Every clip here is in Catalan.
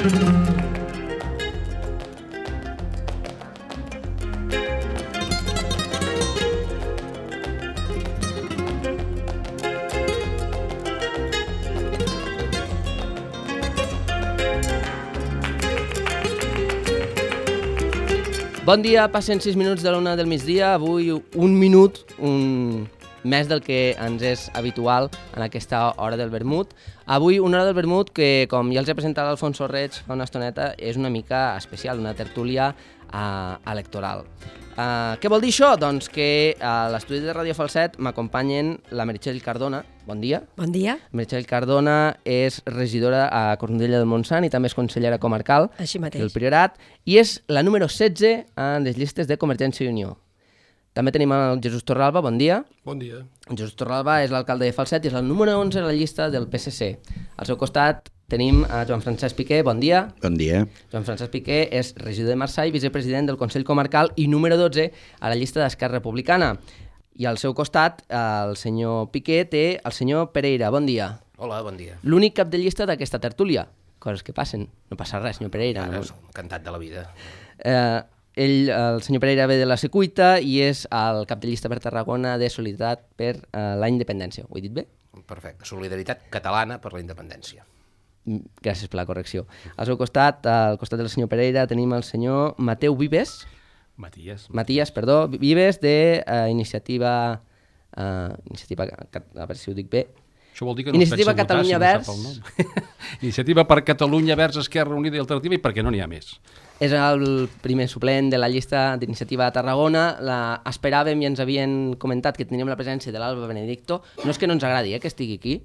Bon dia, passen 6 minuts de l'1 del migdia, avui un minut, més del que ens és habitual en aquesta hora del vermut. Avui una hora del vermut que, com ja els he presentat l'Alfonso Reig fa una estoneta, és una mica especial, una tertúlia electoral. Què vol dir això? Doncs que a l'estudi de Ràdio Falset m'acompanyen la Meritxell Cardona. Bon dia. Bon dia. Meritxell Cardona és regidora a Cornudella del Montsant i també és consellera comarcal del Priorat i és la número 16 en les llistes de Convergència i Unió. També tenim el Jesús Torralba, bon dia. Bon dia. Jesús Torralba és l'alcalde de Falset i és el número 11 a la llista del PSC. Al seu costat tenim a Joan Francesc Piqué, bon dia. Bon dia. Joan Francesc Piqué és regidor de Marçà i vicepresident del Consell Comarcal i número 12 a la llista d'Esquerra Republicana. I al seu costat, el senyor Piqué té el senyor Pereira, bon dia. Hola, bon dia. L'únic cap de llista d'aquesta tertúlia. Coses que passen, no passa res, senyor Pereira. Ara és encantat de la vida. El senyor Pereira ve de la Secuita i és el cap de llista per Tarragona de Solidaritat per la Independència. Ho he dit bé? Perfecte. Solidaritat catalana per la independència. Gràcies per la correcció. Al seu costat, al costat del senyor Pereira, tenim el senyor Mateu Vives. Matías, perdó, Vives de Iniciativa... a veure si ho dic bé. Això vol dir que no Iniciativa Catalunya Verds. Iniciativa per Catalunya Verds, Esquerra Unida i Alternativa, i perquè no n'hi ha més. És el primer suplent de la llista d'Iniciativa de Tarragona. Esperàvem i ens havien comentat que teníem la presència de l'Alba Benedicto. No és que no ens agradi que estigui aquí,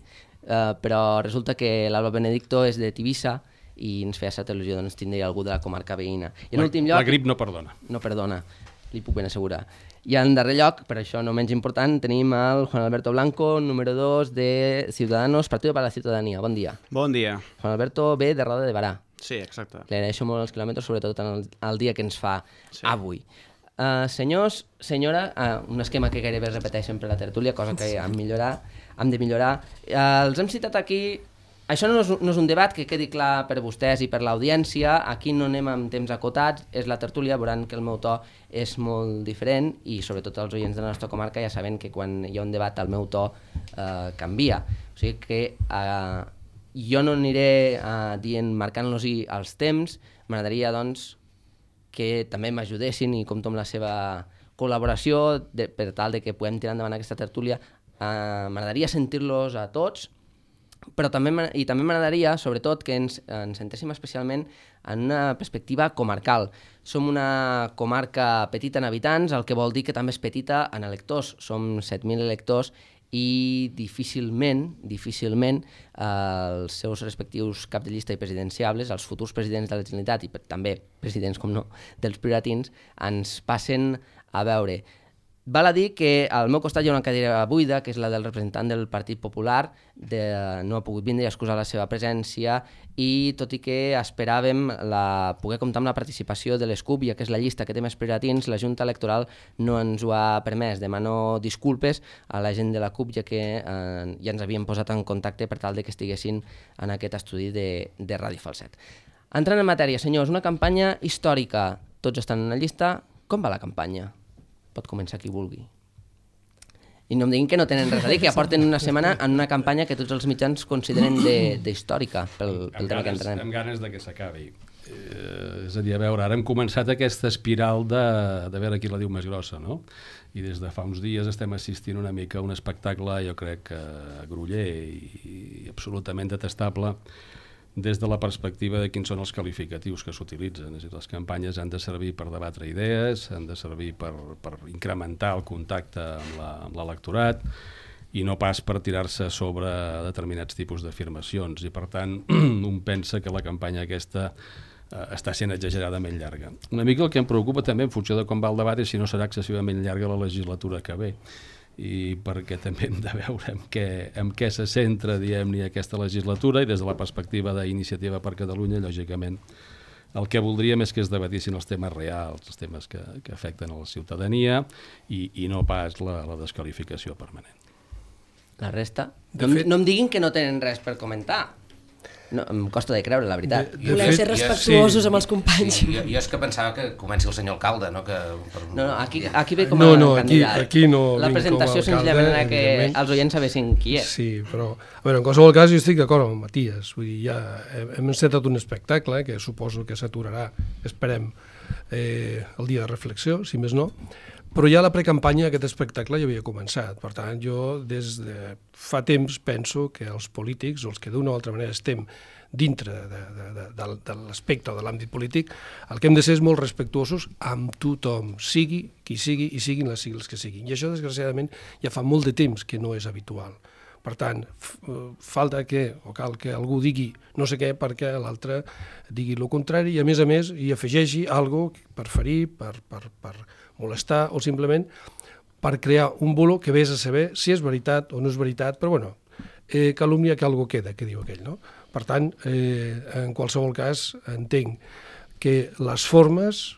però resulta que l'Alba Benedicto és de Tivissa i ens feia certa il·lusió doncs, tindre algú de la comarca veïna. I en últim lloc, la grip no perdona. No perdona, li puc ben assegurar. I en darrer lloc, per això no menys important, tenim el Juan Alberto Blanco, número 2 de Ciudadanos, Partido para la Ciudadanía. Bon dia. Bon dia. Juan Alberto ve de Roda de Barà. Sí, exacte. Li agraeixo molt els quilòmetres, sobretot en el dia que ens fa avui. Senyors, senyora, un esquema que gairebé es repeteix sempre a la tertúlia, cosa que hem de millorar. Els hem citat aquí. Això no és un debat, que quedi clar per vostès i per l'audiència. Aquí no anem amb temps acotats, és la tertúlia, veuran que el meu to és molt diferent i sobretot els oients de la nostra comarca ja saben que quan hi ha un debat el meu to canvia. O sigui que jo no aniré marcant-los-hi els temps, m'agradaria doncs que també m'ajudessin i compto amb la seva col·laboració per tal de que puguem tirar endavant aquesta tertúlia. M'agradaria sentir-los a tots, però també m'agradaria, sobretot, que ens centréssim especialment en una perspectiva comarcal. Som una comarca petita en habitants, el que vol dir que també és petita en electors. Som 7.000 electors i difícilment els seus respectius cap de llista i presidenciables, els futurs presidents de la Generalitat i també presidents, com no, dels prioratins, ens passen a veure. Val a dir que al meu costat hi ha una cadira buida, que és la del representant del Partit Popular, no ha pogut vindre i excusar la seva presència, i tot i que esperàvem poder comptar amb la participació de l'ESCUP, ja que és la llista que té més prioratins, la Junta Electoral no ens ho ha permès. Demano disculpes a la gent de la CUP, ja que ja ens havien posat en contacte per tal de que estiguessin en aquest estudi de Ràdio Falset. Entrant en matèria, senyors, una campanya històrica. Tots estan en la llista. Com va la campanya? Pot començar qui vulgui. I no em diguin que no tenen res a dir, que ja porten una setmana en una campanya que tots els mitjans consideren d'històrica pel tema que entrenem. Amb ganes de que s'acabi. És a dir, a veure, ara hem començat aquesta espiral de veure qui la diu més grossa, no? I des de fa uns dies estem assistint una mica a un espectacle, jo crec, groller i absolutament detestable, des de la perspectiva de quins són els qualificatius que s'utilitzen. És a dir, les campanyes han de servir per debatre idees, han de servir per incrementar el contacte amb l'electorat i no pas per tirar-se sobre determinats tipus d'afirmacions. I, per tant, un pensa que la campanya aquesta està sent exageradament llarga. Una mica el que em preocupa també, en funció de com va el debat, és si no serà excessivament llarga la legislatura que ve. I perquè també hem de veure en què se centra, diguem-ne, aquesta legislatura, i des de la perspectiva d'Iniciativa per Catalunya, lògicament, el que voldríem és que es debatissin els temes reals, els temes que afecten a la ciutadania i no pas la desqualificació permanent. La resta? No em diguin que no tenen res per comentar. No, em costa de creure, la veritat. Voleu ser respectuosos amb els companys. Sí, jo és que pensava que comenci el senyor alcalde, no? No, aquí ve com a candidat. Aquí no la vinc presentació com a alcalde, senzillament era que evidentment. els oients sabessin qui és. Sí, però en qualsevol cas jo estic d'acord amb el Matías. Vull dir, ja hem encetat un espectacle que suposo que s'aturarà, esperem, el dia de reflexió, si més no, però ja la precampanya d'aquest espectacle ja havia començat. Per tant, jo des de fa temps penso que els polítics, o els que d'una o altra manera estem dintre de l'aspecte o de l'àmbit polític, el que hem de ser és molt respectuosos amb tothom, sigui qui sigui i siguin les sigles que siguin. I això, desgraciadament, ja fa molt de temps que no és habitual. Per tant, falta que, o cal que algú digui no sé què perquè l'altre digui el contrari i, a més, hi afegeixi alguna cosa per ferir, per molestar o simplement per crear un bulo que vés a saber si és veritat o no és veritat, però bueno, calúmnia que algo queda, que diu aquell, no? Per tant, en qualsevol cas, entenc que les formes,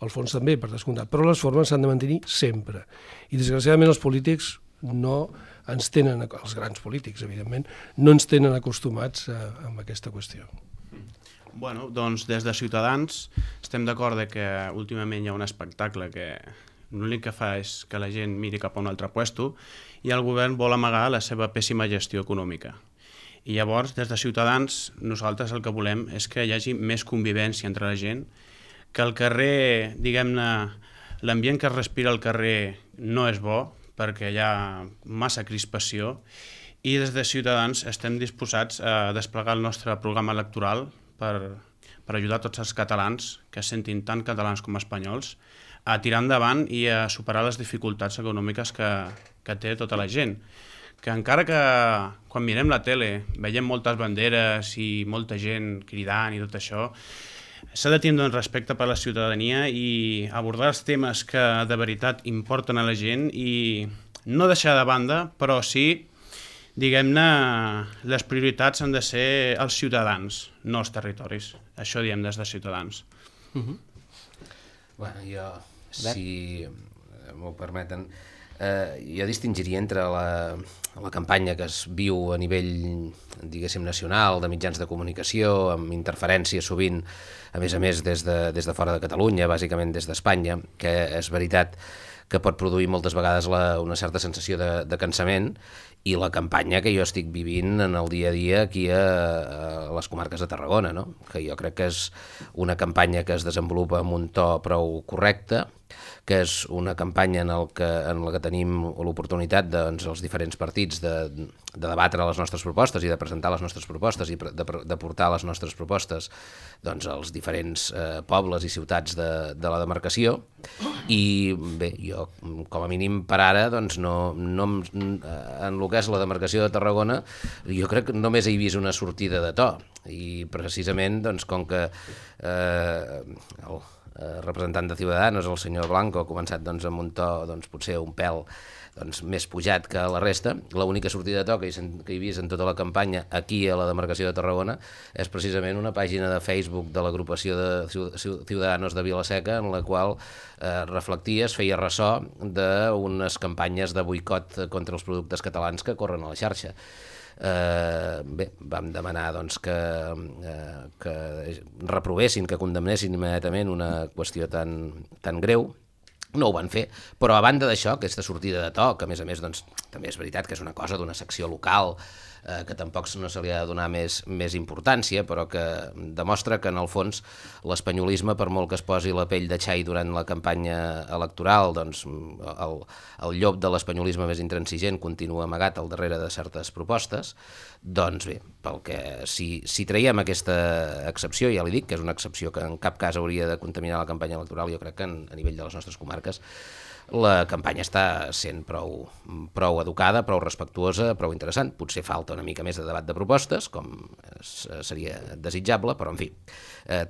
el fons també, per descomptat, però les formes s'han de mantenir sempre. I, desgraciadament, els polítics no ens tenen, els grans polítics, evidentment, no ens tenen acostumats amb aquesta qüestió. Bueno, doncs des de Ciutadans estem d'acord que últimament hi ha un espectacle que l'únic que fa és que la gent miri cap a un altre puesto i el govern vol amagar la seva pèssima gestió econòmica. I llavors, des de Ciutadans, nosaltres el que volem és que hi hagi més convivència entre la gent, que al carrer, diguem-ne, l'ambient que es respira al carrer no és bo, perquè hi ha massa crispació, i des de Ciutadans estem disposats a desplegar el nostre programa electoral per ajudar tots els catalans, que es sentin tant catalans com espanyols, a tirar endavant i a superar les dificultats econòmiques que té tota la gent. Que encara que quan mirem la tele veiem moltes banderes i molta gent cridant i tot això, s'ha de tindre un respecte per la ciutadania i abordar els temes que de veritat importen a la gent i no deixar de banda, però sí, diguem-ne, les prioritats han de ser els ciutadans, no els territoris. Això diem des de Ciutadans. Bueno, jo, si m'ho permeten, jo distingiria entre la campanya que es viu a nivell, diguéssim, nacional, de mitjans de comunicació, amb interferències sovint, a més, des de fora de Catalunya, bàsicament des d'Espanya, que és veritat que pot produir moltes vegades una certa sensació de cansament, i la campanya que jo estic vivint en el dia a dia aquí a les comarques de Tarragona, no? Que jo crec que és una campanya que es desenvolupa amb un to prou correcte, que és una campanya en la que tenim l'oportunitat, doncs, els diferents partits de debatre les nostres propostes i de presentar les nostres propostes i de portar les nostres propostes, doncs, als diferents pobles i ciutats de la demarcació. I bé, jo com a mínim per ara, doncs, en el que és la demarcació de Tarragona, jo crec que només he vist una sortida de to, i precisament, doncs, com que el representant de Ciudadanos, el senyor Blanco, ha començat, doncs, amb un to, doncs, potser un pèl, doncs, més pujat que la resta. L'única sortida de to que he vist en tota la campanya aquí a la demarcació de Tarragona és precisament una pàgina de Facebook de l'agrupació de Ciudadanos de Vila-seca, en la qual reflectia, es feia ressò d'unes campanyes de boicot contra els productes catalans que corren a la xarxa. Bé, vam demanar, doncs, que reprovessin, que condemnessin immediatament una qüestió tan greu. No ho van fer, però a banda d'això, aquesta sortida de to, que a més, doncs, també és veritat que és una cosa d'una secció local, que tampoc no se li ha de donar més importància, però que demostra que en el fons l'espanyolisme, per molt que es posi la pell de xai durant la campanya electoral, doncs el llop de l'espanyolisme més intransigent continua amagat al darrere de certes propostes. Doncs bé, si traiem aquesta excepció, ja li dic que és una excepció que en cap cas hauria de contaminar la campanya electoral, jo crec que a nivell de les nostres comarques la campanya està sent prou educada, prou respectuosa, prou interessant. Potser falta una mica més de debat de propostes, com seria desitjable, però en fi,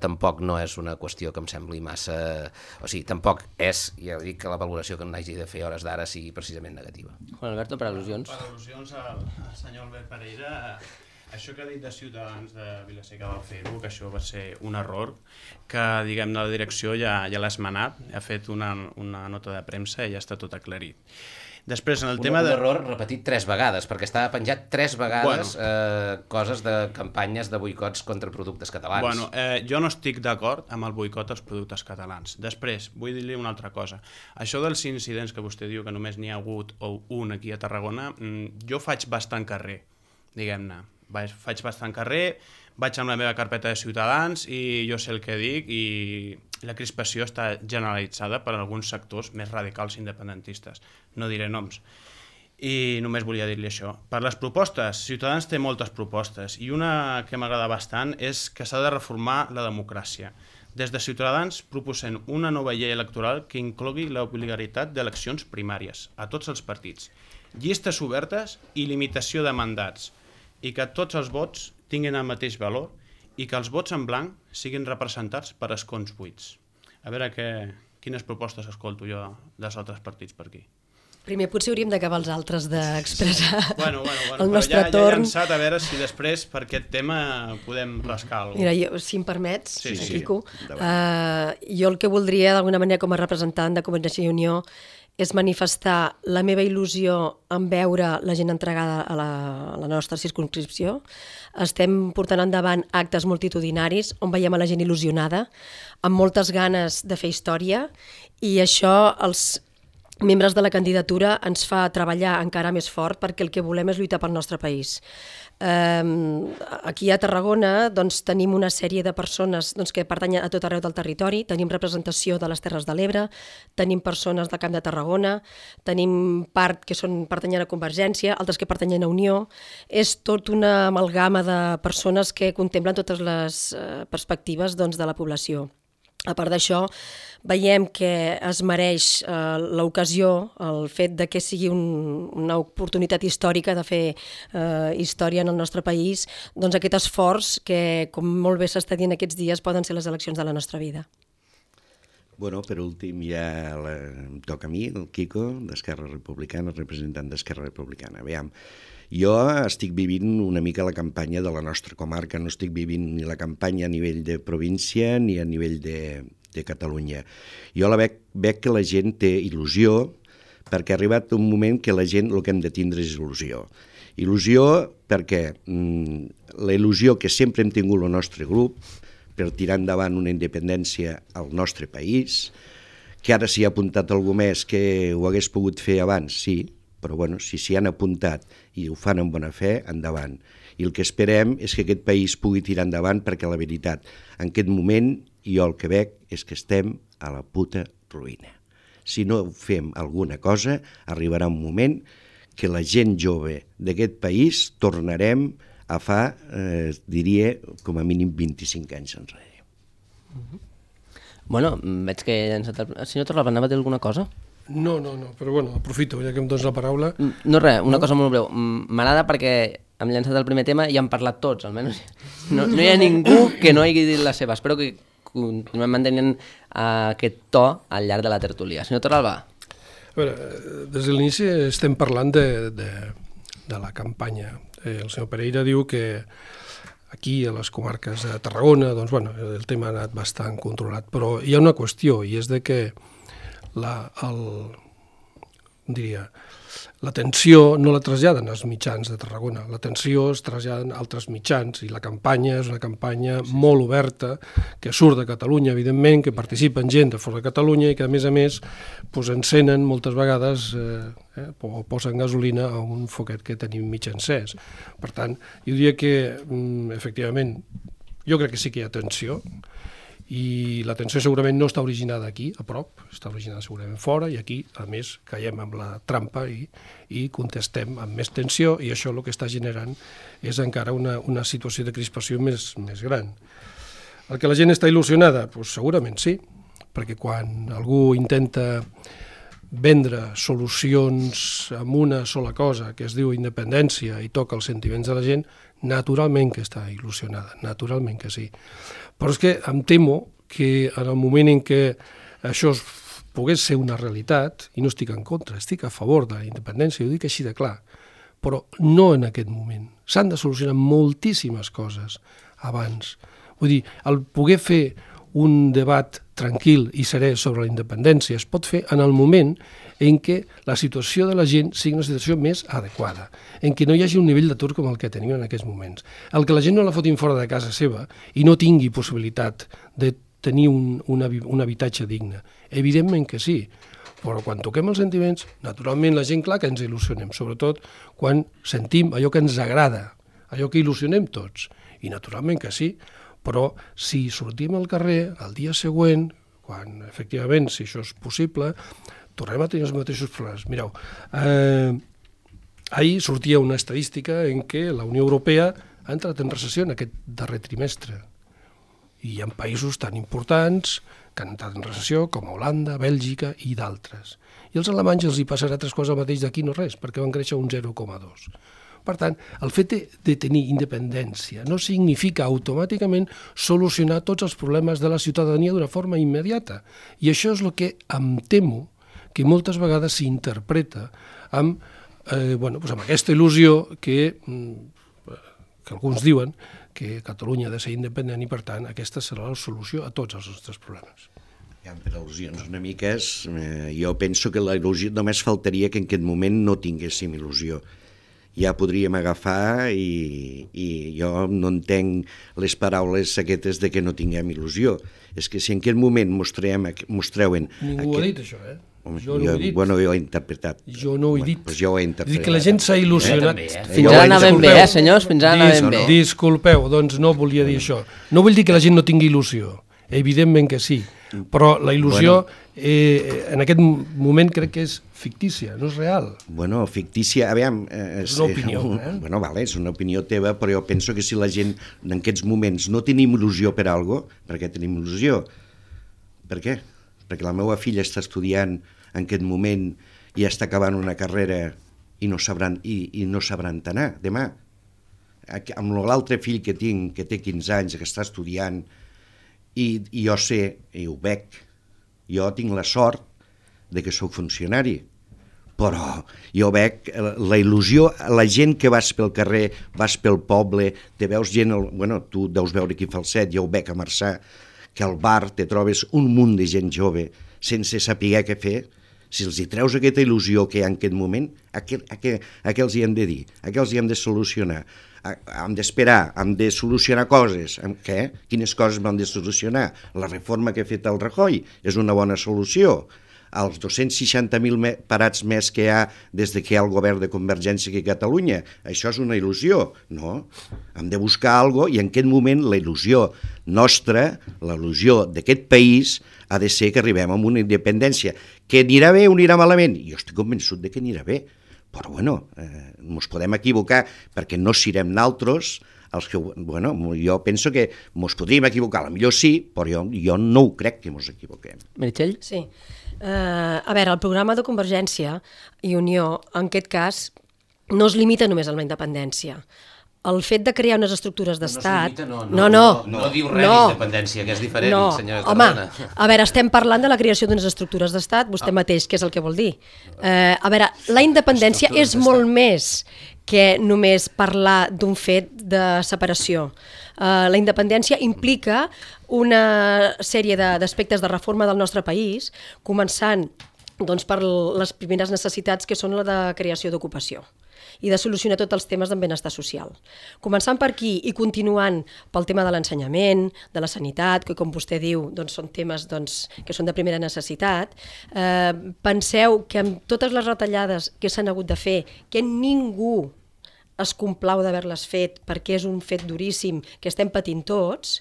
tampoc no és una qüestió que em sembli massa... O sigui, tampoc és, ja dic, que la valoració que n'hagi de fer a hores d'ara sigui precisament negativa. Juan Alberto, per al·lusions. Per al·lusions al senyor Albert Pereira, això que ha dit de Ciutadans de Vila-seca del Facebook, això va ser un error que, diguem-ne, la direcció ja l'ha esmenat, ha fet una nota de premsa i ja està tot aclarit. Després, en el Un tema de... error repetit 3 vegades, perquè estava penjat 3 vegades coses de campanyes de boicots contra productes catalans. Bueno, jo no estic d'acord amb el boicot als productes catalans. Després, vull dir-li una altra cosa. Això dels incidents que vostè diu que només n'hi ha hagut un aquí a Tarragona, jo faig bastant carrer, diguem-ne. Faig bastant carrer, vaig amb la meva carpeta de Ciutadans i jo sé el que dic i la crispació està generalitzada per alguns sectors més radicals independentistes. No diré noms. I només volia dir-li això. Per les propostes, Ciutadans té moltes propostes i una que m'agrada bastant és que s'ha de reformar la democràcia. Des de Ciutadans proposem una nova llei electoral que inclogui l'obligatorietat d'eleccions primàries a tots els partits, llistes obertes i limitació de mandats, i que tots els vots tinguin el mateix valor i que els vots en blanc siguin representats per escons buits. A veure quines propostes escolto jo dels altres partits per aquí. Primer potser hauríem d'acabar els altres d'expressar Bueno, el nostre torn. Ja he llançat a veure si després per aquest tema podem rascar alguna cosa. Mira, jo, si em permets, Sí. Quico, jo el que voldria d'alguna manera com a representant de Convergència i Unió és manifestar la meva il·lusió en veure la gent entregada a la nostra circumscripció. Estem portant endavant actes multitudinaris on veiem a la gent il·lusionada, amb moltes ganes de fer història, i això els membres de la candidatura ens fa treballar encara més fort perquè el que volem és lluitar pel nostre país. Aquí a Tarragona tenim una sèrie de persones que pertanyen a tot arreu del territori, tenim representació de les Terres de l'Ebre, tenim persones del Camp de Tarragona, tenim part que pertanyen a Convergència, altres que pertanyen a Unió. És tot una amalgama de persones que contemplen totes les perspectives de la població. A part d'això, veiem que es mereix l'ocasió, el fet de que sigui una oportunitat històrica de fer història en el nostre país, aquest esforç que, com molt bé s'està dient aquests dies, poden ser les eleccions de la nostra vida. Bueno, per últim ja em toca a mi, el Quico, d'Esquerra Republicana, representant d'Esquerra Republicana. Aviam, jo estic vivint una mica la campanya de la nostra comarca, no estic vivint ni la campanya a nivell de província ni a nivell de Catalunya. Jo veig que la gent té il·lusió, perquè ha arribat un moment que la gent el que hem de tindre és il·lusió. Il·lusió perquè la il·lusió que sempre hem tingut el nostre grup per tirar endavant una independència al nostre país, que ara s'hi ha apuntat algú més que ho hagués pogut fer abans, sí, però bueno, si s'hi han apuntat i ho fan amb bona fe, endavant. I el que esperem és que aquest país pugui tirar endavant perquè la veritat, en aquest moment, jo el que veig és que estem a la puta ruïna. Si no fem alguna cosa, arribarà un moment que la gent jove d'aquest país tornarem a fa, diria, com a mínim 25 anys enrere. Bueno, veig que el senyor Torralba anava a dir alguna cosa? No, però bueno, aprofito, ja que em dones la paraula. No res, una cosa molt breu. M'agrada perquè hem llançat el primer tema i han parlat tots, almenys. No hi ha ningú que no hagi dit la seva. Espero que continuem mantenint aquest to al llarg de la tertúlia. Senyor Torralba. A veure, des de l'inici estem parlant de la campanya. El senyor Pereira diu que aquí, a les comarques de Tarragona, el tema ha anat bastant controlat, però hi ha una qüestió, i és de que l'atenció no la traslladen als mitjans de Tarragona, l'atenció es traslladen a altres mitjans, i la campanya és una campanya molt oberta, que surt de Catalunya, evidentment, que participen gent de fora de Catalunya i que, a més, encenen moltes vegades o posen gasolina a un foquet que tenim mig encès. Per tant, jo diria que, efectivament, jo crec que sí que hi ha atenció, i la tensió segurament no està originada aquí, a prop, està originada segurament fora, i aquí, a més, caiem amb la trampa i contestem amb més tensió, i això el que està generant és encara una situació de crispació més gran. El que la gent està il·lusionada? Doncs segurament sí, perquè quan algú intenta vendre solucions amb una sola cosa, que es diu independència, i toca els sentiments de la gent, naturalment que està il·lusionada, naturalment que sí. Però és que em temo que en el moment en què això pogués ser una realitat, i no estic en contra, estic a favor de la independència, ho dic així de clar, però no en aquest moment. S'han de solucionar moltíssimes coses abans. Vull dir, el poder fer un debat tranquil i serè sobre la independència es pot fer en el moment en què la situació de la gent sigui una situació més adequada, en què no hi hagi un nivell d'atur com el que tenim en aquests moments. El que la gent no la fotin fora de casa seva i no tingui possibilitat de tenir un habitatge digne. Evidentment que sí, però quan toquem els sentiments, naturalment la gent, clar que ens il·lusionem, sobretot quan sentim allò que ens agrada, allò que il·lusionem tots, i naturalment que sí, però si sortim al carrer el dia següent, quan efectivament, si això és possible, tornem a tenir els mateixos problemes. Mireu, ahir sortia una estadística en què la Unió Europea ha entrat en recessió en aquest darrer trimestre. I hi ha països tan importants que han entrat en recessió com Holanda, Bèlgica i d'altres. I als alemanys els hi passarà 3 quarts el mateix d'aquí, no res, perquè van créixer un 0,2. Per tant, el fet de tenir independència no significa automàticament solucionar tots els problemes de la ciutadania d'una forma immediata. I això és el que em temo que moltes vegades s'interpreta amb, amb aquesta il·lusió que alguns diuen que Catalunya ha de ser independent i, per tant, aquesta serà la solució a tots els nostres problemes. Per al·lusions una mica, jo penso que la il·lusió només faltaria que en aquest moment no tinguéssim il·lusió. Ja podríem agafar i jo no entenc les paraules aquestes de que no tinguem il·lusió. És que si en aquest moment mostreuen... Ningú ho ha dit, això, Jo no ho he dit. Bueno, jo ho he interpretat. Jo no ho he dit. Doncs jo ho he interpretat. Dic que la gent s'ha il·lusionat. Fins ara anàvem bé, senyors? Fins ara anàvem bé. Disculpeu, doncs no volia dir això. No vull dir que la gent no tingui il·lusió. Evidentment que sí. Però la il·lusió en aquest moment crec que és fictícia, no és real. Bueno, fictícia, aviam... És una opinió, Bueno, vale, és una opinió teva, però jo penso que si la gent en aquests moments no tenim il·lusió per alguna cosa, per què tenim il·lusió? Per què? Perquè la meva filla està estudiant en aquest moment i està acabant una carrera i no sabran anar demà. Amb l'altre fill que tinc, que té 15 anys, que està estudiant, i jo sé, i ho veig, jo tinc la sort de que sóc funcionari, però jo veig la il·lusió, la gent que vas pel carrer, vas pel poble, te veus gent, tu deus veure aquí a Falset, jo ho veig a Marçà, que al bar te trobes un munt de gent jove sense saber què fer. Si els hi treus aquesta il·lusió que hi ha en aquest moment, a què els hi hem de dir? A què els hi hem de solucionar? Hem d'esperar, hem de solucionar coses. Què? Quines coses hem de solucionar? La reforma que ha fet el Rajoy és una bona solució. Els 260.000 parats més que hi ha des que hi ha el govern de Convergència aquí a Catalunya, això és una il·lusió? No. Hem de buscar alguna cosa i en aquest moment la il·lusió nostra, la il·lusió d'aquest país, ha de ser que arribem a una independència. Que anirà bé o anirà malament? Jo estic convençut que anirà bé, però ens podem equivocar perquè no serem naltros els que... jo penso que ens podríem equivocar, potser sí, però jo no ho crec que ens equivoquem. Meritxell? Sí. A veure, el programa de Convergència i Unió, en aquest cas, no es limita només a la independència. El fet de crear unes estructures d'estat... No diu res d'independència, que és diferent, senyora Tarragona. Home, a veure, estem parlant de la creació d'unes estructures d'estat, vostè mateix, què és el que vol dir? A veure, la independència és molt més que només parlar d'un fet de separació. La independència implica una sèrie d'aspectes de reforma del nostre país, començant per les primeres necessitats que són la de creació d'ocupació i de solucionar tots els temes de benestar social. Començant per aquí i continuant pel tema de l'ensenyament, de la sanitat, que com vostè diu són temes que són de primera necessitat, penseu que amb totes les retallades que s'han hagut de fer, que ningú es complau d'haver-les fet perquè és un fet duríssim que estem patint tots,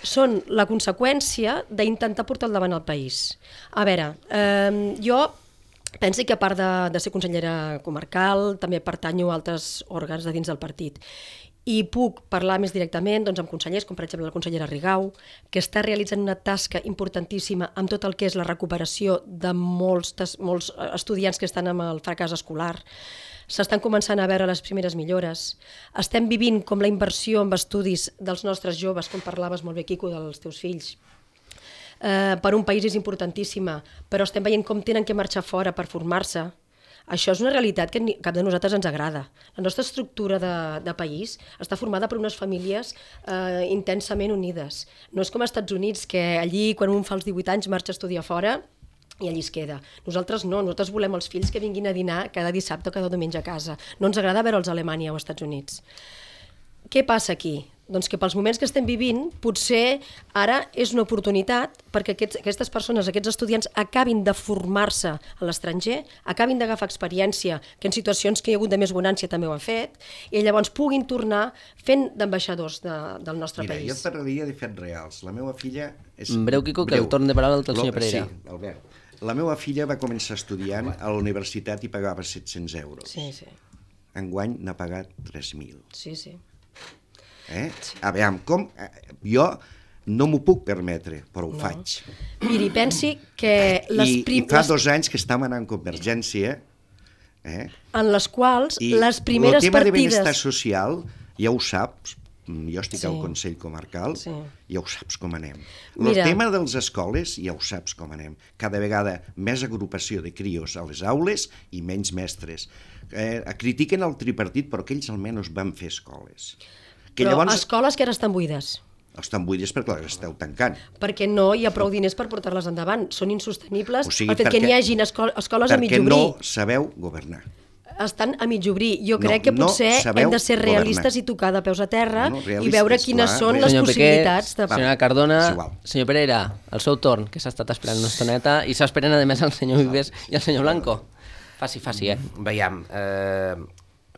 són la conseqüència d'intentar portar al davant el país. A veure, jo penso que a part de ser consellera comarcal, també pertanyo a altres òrgans de dins del partit. I puc parlar més directament amb consellers, com per exemple la consellera Rigau, que està realitzant una tasca importantíssima amb tot el que és la recuperació de molts estudiants que estan amb el fracàs escolar. S'estan començant a veure les primeres millores. Estem vivint com la inversió en estudis dels nostres joves, com parlaves molt bé, Quico, dels teus fills. Per un país és importantíssima, però estem veient com tenen que marxar fora per formar-se. Això és una realitat que cap de nosaltres ens agrada. La nostra estructura de país està formada per unes famílies intensament unides. No és com als Estats Units, que allí, quan un fa els 18 anys, marxa a estudiar fora i allí es queda. Nosaltres no, nosaltres volem els fills que vinguin a dinar cada dissabte o cada diumenge a casa. No ens agrada veure'ls a Alemanya o als Estats Units. Què passa aquí? Doncs que pels moments que estem vivint, potser ara és una oportunitat perquè aquestes persones, aquests estudiants, acabin de formar-se a l'estranger, acabin d'agafar experiència, que en situacions que hi ha hagut de més bonància també ho han fet, i llavors puguin tornar fent d'ambaixadors del nostre país. Mira, jo et parlaria de fets reals. La meva filla... Breu, Quico, que el torn de paraula del senyor Pereira. Sí, Albert. La meva filla va començar estudiant a la universitat i pagava 700 euros. Sí, sí. Enguany n'ha pagat 3.000. Sí, sí. A veure, com... Jo no m'ho puc permetre, però ho faig. Miri, pensi que I fa 2 anys que estem anant en Convergència, en les quals les primeres partides... I el tema de partides... benestar social, ja ho saps, jo estic al Consell Comarcal, ja ho saps com anem. El tema de les escoles, ja ho saps com anem. Cada vegada més agrupació de crios a les aules i menys mestres. Critiquen el tripartit, però que ells almenys van fer escoles. Però escoles que ara estan buides. Estan buides perquè les esteu tancant. Perquè no hi ha prou diners per portar-les endavant. Són insostenibles. O sigui, el fet que n'hi hagin escoles a mig obrir. Perquè no sabeu governar. Estan a mig obrir. Jo crec que potser hem de ser realistes i tocar de peus a terra i veure quines són les possibilitats. Senyora Cardona, senyor Pereira, el seu torn, que s'ha estat esperant una estoneta, i s'esperen a més el senyor Vives i el senyor Blanco. Faci, Veiem,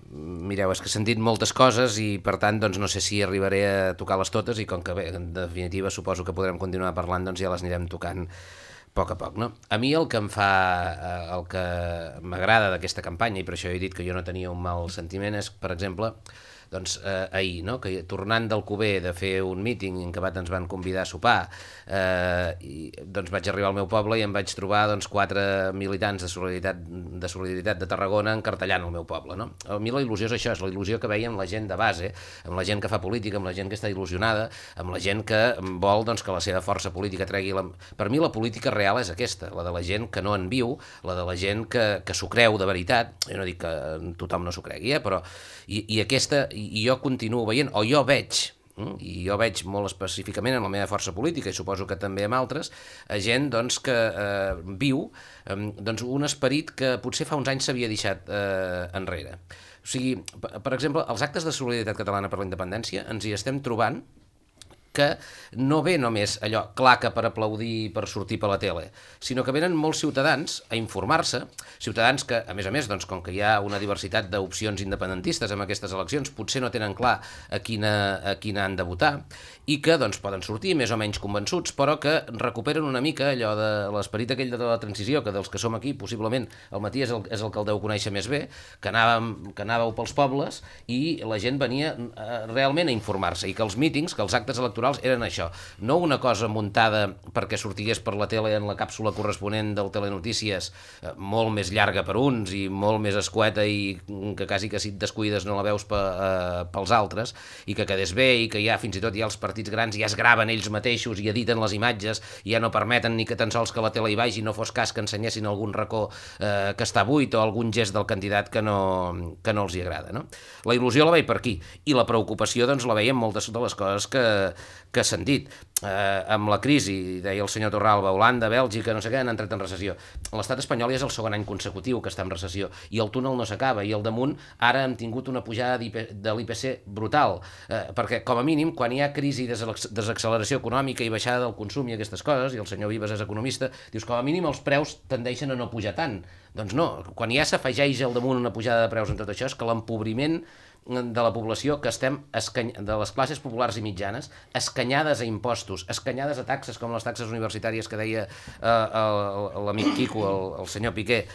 mireu, és que he sentit moltes coses i per tant doncs, no sé si arribaré a tocar-les totes i com que bé, en definitiva suposo que podrem continuar parlant, doncs ja les anirem tocant a poc, no? A mi el que el que m'agrada d'aquesta campanya, i per això he dit que jo no tenia un mal sentiment, és, per exemple, doncs ahir, no? Que tornant d'Alcover de fer un míting en què ens van convidar a sopar, i doncs vaig arribar al meu poble i em vaig trobar doncs 4 militants de Solidaritat de Tarragona encartellant el meu poble, no? A mi la il·lusió és això, és la il·lusió que veia amb la gent de base, amb la gent que fa política, amb la gent que està il·lusionada, amb la gent que vol doncs, que la seva força política tregui... Per mi la política real és aquesta, la de la gent que no en viu, la de la gent que s'ho creu de veritat, jo no dic que tothom no s'ho cregui, però... I jo continuo veient, o jo veig, i jo veig molt específicament en la meva força política, i suposo que també amb altres, gent doncs, que viu doncs, un esperit que potser fa uns anys s'havia deixat enrere. O sigui, per exemple, els actes de Solidaritat Catalana per la Independència ens hi estem trobant que no ve només allò claca per aplaudir i per sortir per la tele, sinó que venen molts ciutadans a informar-se, ciutadans que, a més, doncs, com que hi ha una diversitat d'opcions independentistes en aquestes eleccions, potser no tenen clar a quina han de votar, i que doncs, poden sortir més o menys convençuts, però que recuperen una mica allò de l'esperit aquell de la transició, que dels que som aquí, possiblement, el Matías és el que el deu conèixer més bé, que anàveu pels pobles i la gent venia realment a informar-se, i que els mítings, que els actes electorals eren això, no una cosa muntada perquè sortigués per la tele en la càpsula corresponent del Telenotícies, molt més llarga per uns i molt més escueta i que quasi que si et descuides no la veus pels altres, i que quedés bé, i que ja fins i tot hi ha els partits grans ja es graven ells mateixos i editen les imatges i ja no permeten ni que tan sols que la tele hi vagi, no fos cas que ensenyessin algun racó que està buit o algun gest del candidat que no els hi agrada, no? La il·lusió la veig per aquí, i la preocupació doncs la veiem moltes de les coses que s'han dit. Amb la crisi, deia el senyor Torralba, Holanda, Bèlgica, no sé què, han entrat en recessió. L'estat espanyol ja és el segon any consecutiu que està en recessió, i el túnel no s'acaba, i al damunt ara hem tingut una pujada de l'IPC brutal, perquè com a mínim quan hi ha crisi i desacceleració econòmica i baixada del consum i aquestes coses, i el senyor Vives és economista, dius com a mínim els preus tendeixen a no pujar tant. Doncs no, quan ja s'afegeix al damunt una pujada de preus en tot això, és que l'empobriment de la població, que estem de les classes populars i mitjanes, escanyades a impostos, escanyades a taxes com les taxes universitàries que deia l'amic Quico, el senyor Piqué,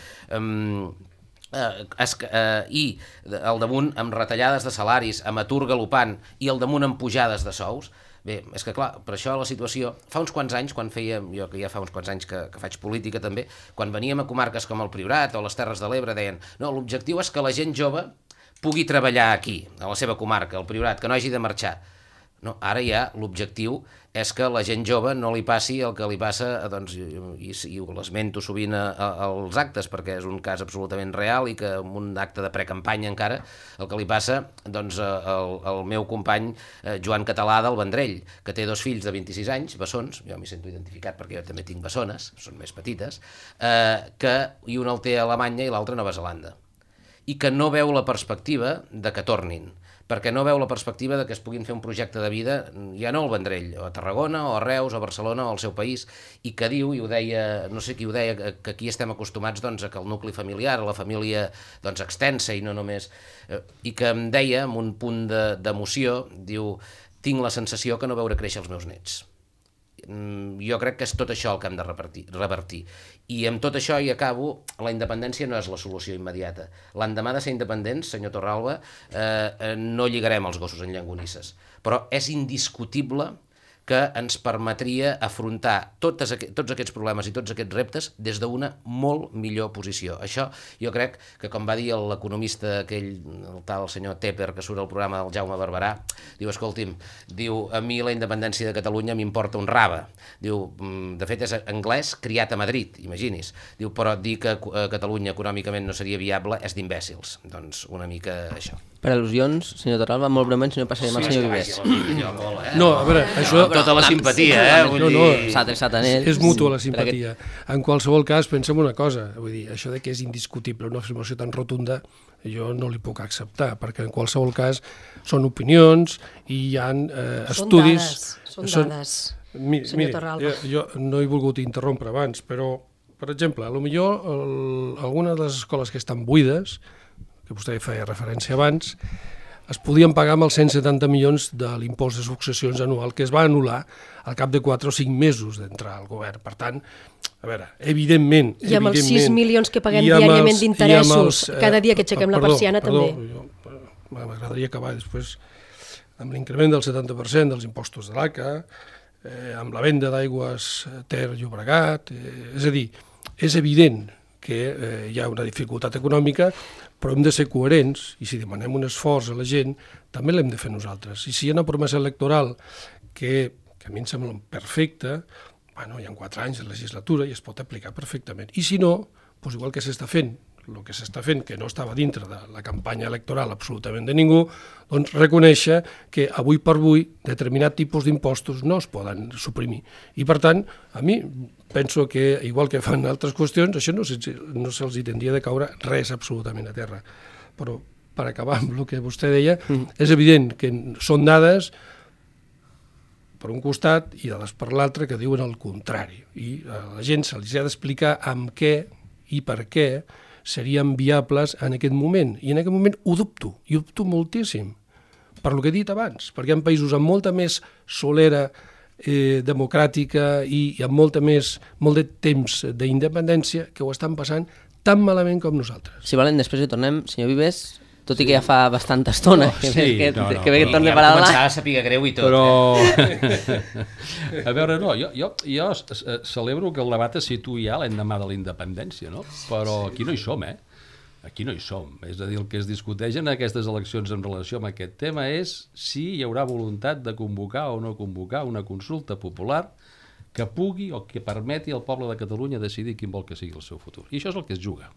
i al damunt amb retallades de salaris, amb atur galopant, i al damunt amb pujades de sous. Bé, és que clar, per això la situació... Fa uns quants anys, jo que ja fa uns quants anys que faig política també, quan veníem a comarques com el Priorat o les Terres de l'Ebre, deien no, l'objectiu és que la gent jove pugui treballar aquí, a la seva comarca, al Priorat, que no hagi de marxar. No, ara ja l'objectiu és que la gent jove no li passi el que li passa, doncs, i ho l'esmento sovint als actes, perquè és un cas absolutament real i que en un acte de precampanya encara el que li passa doncs, al meu company Joan Català del Vendrell, que té 2 fills de 26 anys, bessons, jo m'hi sento identificat perquè jo també tinc bessones, són més petites, i un el té a Alemanya i l'altre a Nova Zelanda, i que no veu la perspectiva de que tornin, perquè no veu la perspectiva de que es puguin fer un projecte de vida, ja no al Vendrell, o a Tarragona, o a Reus, o a Barcelona, o al seu país, i que diu, i ho deia, no sé qui ho deia, que aquí estem acostumats doncs, a que el nucli familiar, la família doncs, extensa i no només... I que em deia, amb un punt d'emoció, diu, tinc la sensació que no veuré créixer els meus nets. Jo crec que és tot això el que hem de revertir. I amb tot això, i acabo, la independència no és la solució immediata. L'endemà de ser independents, senyor Torralba, no lligarem els gossos en llonganisses, però és indiscutible que ens permetria afrontar tots aquests problemes i tots aquests reptes des d'una molt millor posició. Això jo crec que, com va dir l'economista aquell, el tal senyor Tepper, que surt al programa del Jaume Barberà, diu, escolti'm, diu, a mi la independència de Catalunya m'importa un rave. Diu, de fet és anglès criat a Madrid, imagini's. Diu, però dir que Catalunya econòmicament no seria viable és d'imbècils. Doncs una mica això. Per al·lusions, senyor Torralba, molt breument, si no passarem al senyor Vives. No, a veure, això... Tota la simpatia, vull dir... S'ha adreçat a ell. És mútua la simpatia. En qualsevol cas, pensem una cosa, vull dir, això de que és indiscutible, una afirmació tan rotunda, jo no li puc acceptar, perquè en qualsevol cas són opinions i hi ha estudis... Són dades, senyor Torralba. Jo no he volgut interrompre abans, però, per exemple, potser algunes de les escoles que estan buides, que vostè feia referència abans, es podien pagar amb els 170 milions de l'impost de successions anual que es va anul·lar al cap de 4 o 5 mesos d'entrar al govern. Per tant, a veure, evidentment... I amb els 6 milions que paguem diàriament d'interessos, cada dia que aixequem la persiana també. M'agradaria acabar després amb l'increment del 70% dels impostos de l'ACA, amb la venda d'aigües Ter Llobregat, és a dir, és evident que hi ha una dificultat econòmica, però hem de ser coherents, i si demanem un esforç a la gent, també l'hem de fer nosaltres. I si hi ha una promesa electoral que a mi em sembla perfecta, bueno, hi ha 4 anys de legislatura i es pot aplicar perfectament. I si no, doncs igual que s'està fent, el que s'està fent, que no estava dintre de la campanya electoral absolutament de ningú, doncs reconèixer que avui per avui determinat tipus d'impostos no es poden suprimir. I per tant, a mi penso que, igual que fan altres qüestions, això no se'ls tindria de caure res absolutament a terra. Però, per acabar amb el que vostè deia, és evident que són dades per un costat i dades per l'altre que diuen el contrari. I a la gent se'ls ha d'explicar amb què i per què serien viables en aquest moment. I en aquest moment ho dubto, i ho dubto moltíssim, per lo que he dit abans, perquè hi ha països amb molta més solera democràtica i amb molt de temps d'independència que ho estan passant tan malament com nosaltres. Si volen, després hi tornem. Senyor Vives, tot i que ja fa bastanta estona que ve que torni per allà. Ja començava a saber greu i tot. Però, a veure, no, jo celebro que el debat es situï ja l'endemà de la independència, no? Però aquí no hi som, Aquí no hi som. És a dir, el que es discuteix en aquestes eleccions en relació amb aquest tema és si hi haurà voluntat de convocar o no convocar una consulta popular que pugui o que permeti al poble de Catalunya decidir quin vol que sigui el seu futur. I això és el que es juga.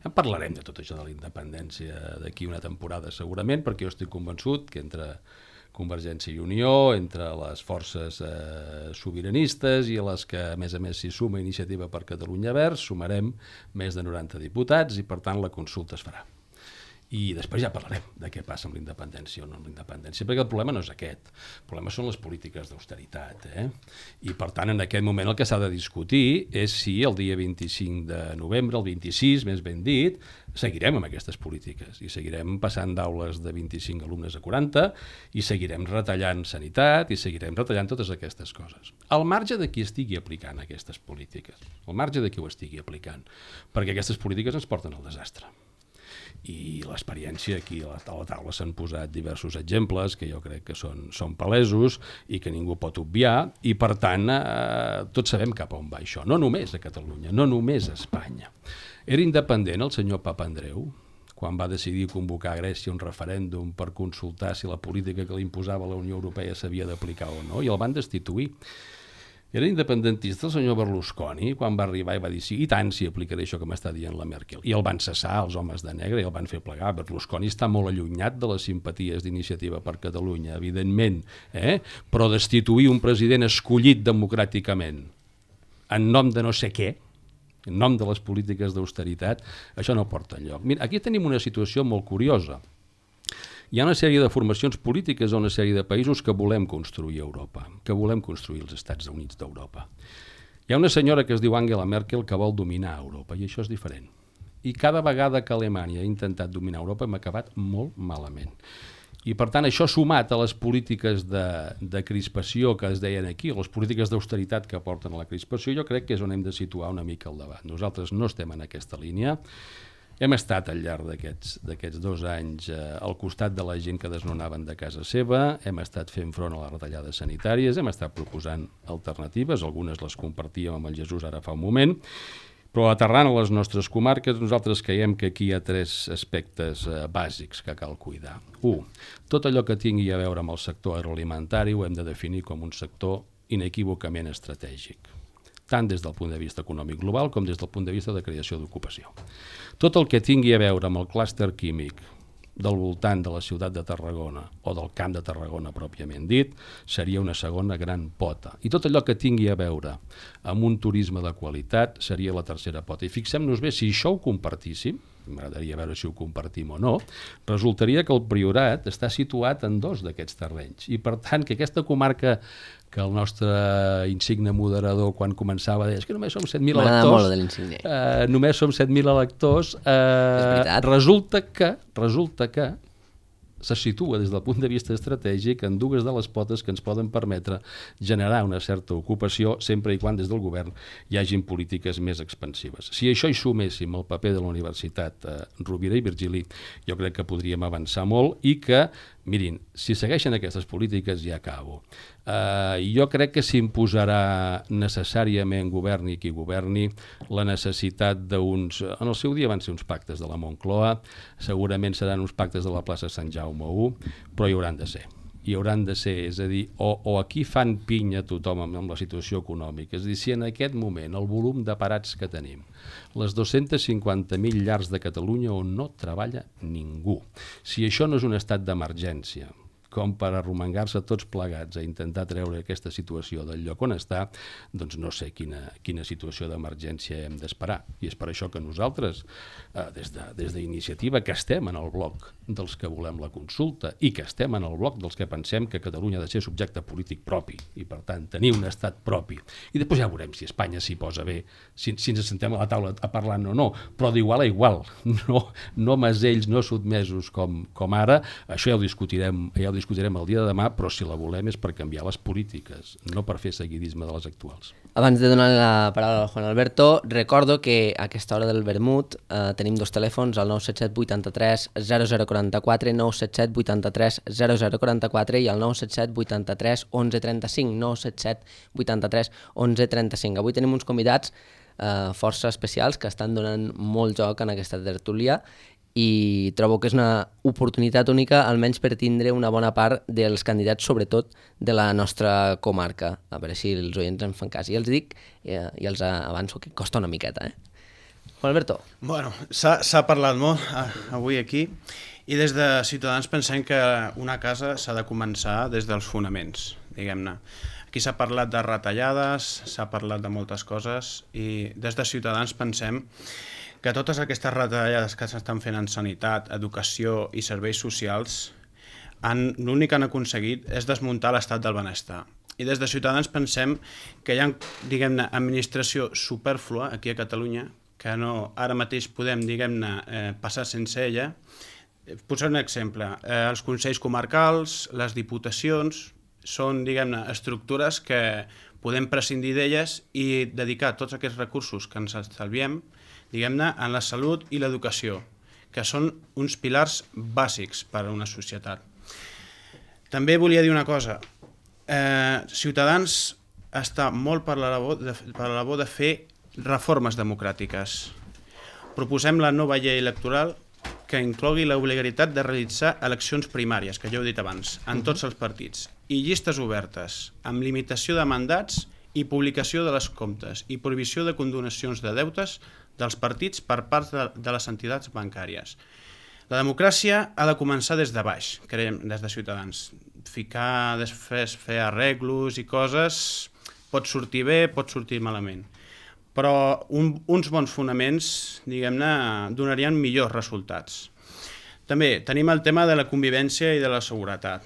Ja en parlarem de tot això de la independència d'aquí una temporada segurament, perquè jo estic convençut que entre Convergència i Unió, entre les forces sobiranistes i a les que a més s'hi suma Iniciativa per Catalunya Verds, sumarem més de 90 diputats i per tant la consulta es farà. I després ja parlarem de què passa amb la independència o no amb la independència, perquè el problema no és aquest, el problema són les polítiques d'austeritat. I per tant en aquest moment el que s'ha de discutir és si el dia 25 de novembre, el 26 més ben dit, seguirem amb aquestes polítiques i seguirem passant d'aules de 25 alumnes a 40 i seguirem retallant sanitat i seguirem retallant totes aquestes coses. Al marge de qui estigui aplicant aquestes polítiques, al marge de qui ho estigui aplicant, perquè aquestes polítiques ens porten al desastre. I l'experiència aquí a la taula s'han posat diversos exemples que jo crec que són palesos i que ningú pot obviar i per tant tots sabem cap a on va això, no només a Catalunya, no només a Espanya. Era independent el senyor Papandreou quan va decidir convocar a Grècia un referèndum per consultar si la política que li imposava la Unió Europea s'havia d'aplicar o no, i el van destituir. Era independentista el senyor Berlusconi, quan va arribar i va dir sí, i tant, si aplicaré això que m'està dient la Merkel. I el van cessar, els homes de negre, i el van fer plegar. Berlusconi està molt allunyat de les simpaties d'Iniciativa per Catalunya, evidentment, però destituir un president escollit democràticament en nom de no sé què, en nom de les polítiques d'austeritat, això no porta enlloc. Mira, aquí tenim una situació molt curiosa. Hi ha una sèrie de formacions polítiques a una sèrie de països que volem construir a Europa, que volem construir els Estats Units d'Europa. Hi ha una senyora que es diu Angela Merkel que vol dominar Europa, i això és diferent. I cada vegada que Alemanya ha intentat dominar Europa hem acabat molt malament. I per tant això sumat a les polítiques de crispació que es deien aquí, o les polítiques d'austeritat que porten a la crispació, jo crec que és on hem de situar una mica el debat. Nosaltres no estem en aquesta línia. Hem estat al llarg d'aquests 2 anys al costat de la gent que desnonaven de casa seva, hem estat fent front a les retallades sanitàries, hem estat proposant alternatives, algunes les compartíem amb el Jesús ara fa un moment, però aterrant a les nostres comarques nosaltres creiem que aquí hi ha 3 aspectes bàsics que cal cuidar. 1. Tot allò que tingui a veure amb el sector agroalimentari ho hem de definir com un sector inequívocament estratègic, tant des del punt de vista econòmic global com des del punt de vista de creació d'ocupació. Tot el que tingui a veure amb el clúster químic del voltant de la ciutat de Tarragona o del Camp de Tarragona pròpiament dit, seria una segona gran pota. I tot allò que tingui a veure amb un turisme de qualitat seria la tercera pota. I fixem-nos bé, si això ho compartíssim, m'agradaria veure si ho compartim o no, resultaria que el Priorat està situat en 2 d'aquests terrenys. I per tant, que aquesta comarca que el nostre insigne moderador quan començava deia que només som 7.000 electors. M'agrada molt de l'insigne. Només som 7.000 electors. Resulta que se situa des del punt de vista estratègic en 2 de les potes que ens poden permetre generar una certa ocupació sempre i quan des del govern hi hagin polítiques més expansives. Si això hi suméssim el paper de la Universitat Rovira i Virgili, jo crec que podríem avançar molt i que, mirin, si segueixen aquestes polítiques ja acabo. Jo crec que s'imposarà necessàriament, governi qui governi, la necessitat d'uns... En el seu dia van ser uns pactes de la Moncloa, segurament seran uns pactes de la plaça Sant Jaume I, però hi hauran de ser. Hi hauran de ser, és a dir, o aquí fan pinya tothom amb la situació econòmica, és a dir, si en aquest moment el volum de parats que tenim, les 250.000 llars de Catalunya on no treballa ningú, si això no és un estat d'emergència, com per arromangar-se tots plegats a intentar treure aquesta situació del lloc on està, doncs no sé quina situació d'emergència hem d'esperar. I és per això que nosaltres, des d'Iniciativa, que estem en el bloc dels que volem la consulta i que estem en el bloc dels que pensem que Catalunya ha de ser subjecte polític propi i, per tant, tenir un estat propi. I després ja veurem si Espanya s'hi posa bé, si ens sentem a la taula a parlar o no, però d'igual a igual, no masells, no sotmesos com ara. Això ja ho discutirem el dia de demà, però si la volem és per canviar les polítiques, no per fer seguidisme de les actuals. Abans de donar la paraula a Juan Alberto, recordo que a aquesta hora del vermut tenim 2 telèfons, el 977 83 0044, 977 83 0044 i el 977 83 1135, 977 83 1135. Avui tenim uns convidats força especials que estan donant molt joc en aquesta tertúlia i trobo que és una oportunitat única, almenys per tindre una bona part dels candidats, sobretot de la nostra comarca. A veure si els oients en fan cas. I els dic, i els avanço, que costa una miqueta. Juan Alberto. Bueno, s'ha parlat molt avui aquí i des de Ciutadans pensem que una casa s'ha de començar des dels fonaments, diguem-ne. Aquí s'ha parlat de retallades, s'ha parlat de moltes coses i des de Ciutadans pensem que totes aquestes retallades que s'estan fent en sanitat, educació i serveis socials, l'únic que han aconseguit és desmuntar l'estat del benestar. I des de Ciutadans pensem que hi ha, diguem-ne, administració superflua aquí a Catalunya, que no, ara mateix podem, diguem-ne, passar sense ella. Posaré un exemple. Els consells comarcals, les diputacions, són, diguem-ne, estructures que podem prescindir d'elles i dedicar tots aquests recursos que ens estalviem, diguem-ne, en la salut i l'educació, que són uns pilars bàsics per a una societat. També volia dir una cosa. Ciutadans està molt per la labor de fer reformes democràtiques. Proposem la nova llei electoral que inclogui l'obligatorietat de realitzar eleccions primàries, que ja ho he dit abans, en tots els partits, i llistes obertes, amb limitació de mandats i publicació de les comptes i prohibició de condonacions de deutes dels partits per part de les entitats bancàries. La democràcia ha de començar des de baix, creiem, des de Ciutadans. Ficar després, fer arreglos i coses, pot sortir bé, pot sortir malament. Però uns bons fonaments, diguem-ne, donarien millors resultats. També tenim el tema de la convivència i de la seguretat.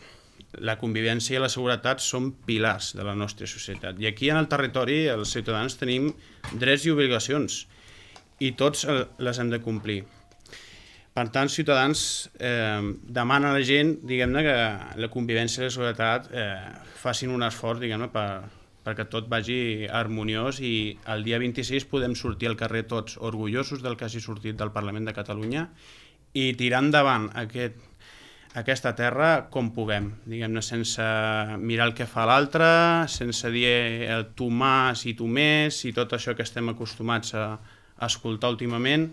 La convivència i la seguretat són pilars de la nostra societat. I aquí en el territori els ciutadans tenim drets i obligacions i tots les hem de complir. Per tant, Ciutadans demana a la gent, diguem-ne, que la convivència i la seguretat facin un esforç, diguem-ne, perquè tot vagi harmoniós i el dia 26 podem sortir al carrer tots orgullosos del que hagi sortit del Parlament de Catalunya i tirar endavant aquesta terra com puguem, diguem-ne, sense mirar el que fa l'altre, sense dir tu més i tu més i tot això que estem acostumats a escoltar últimament.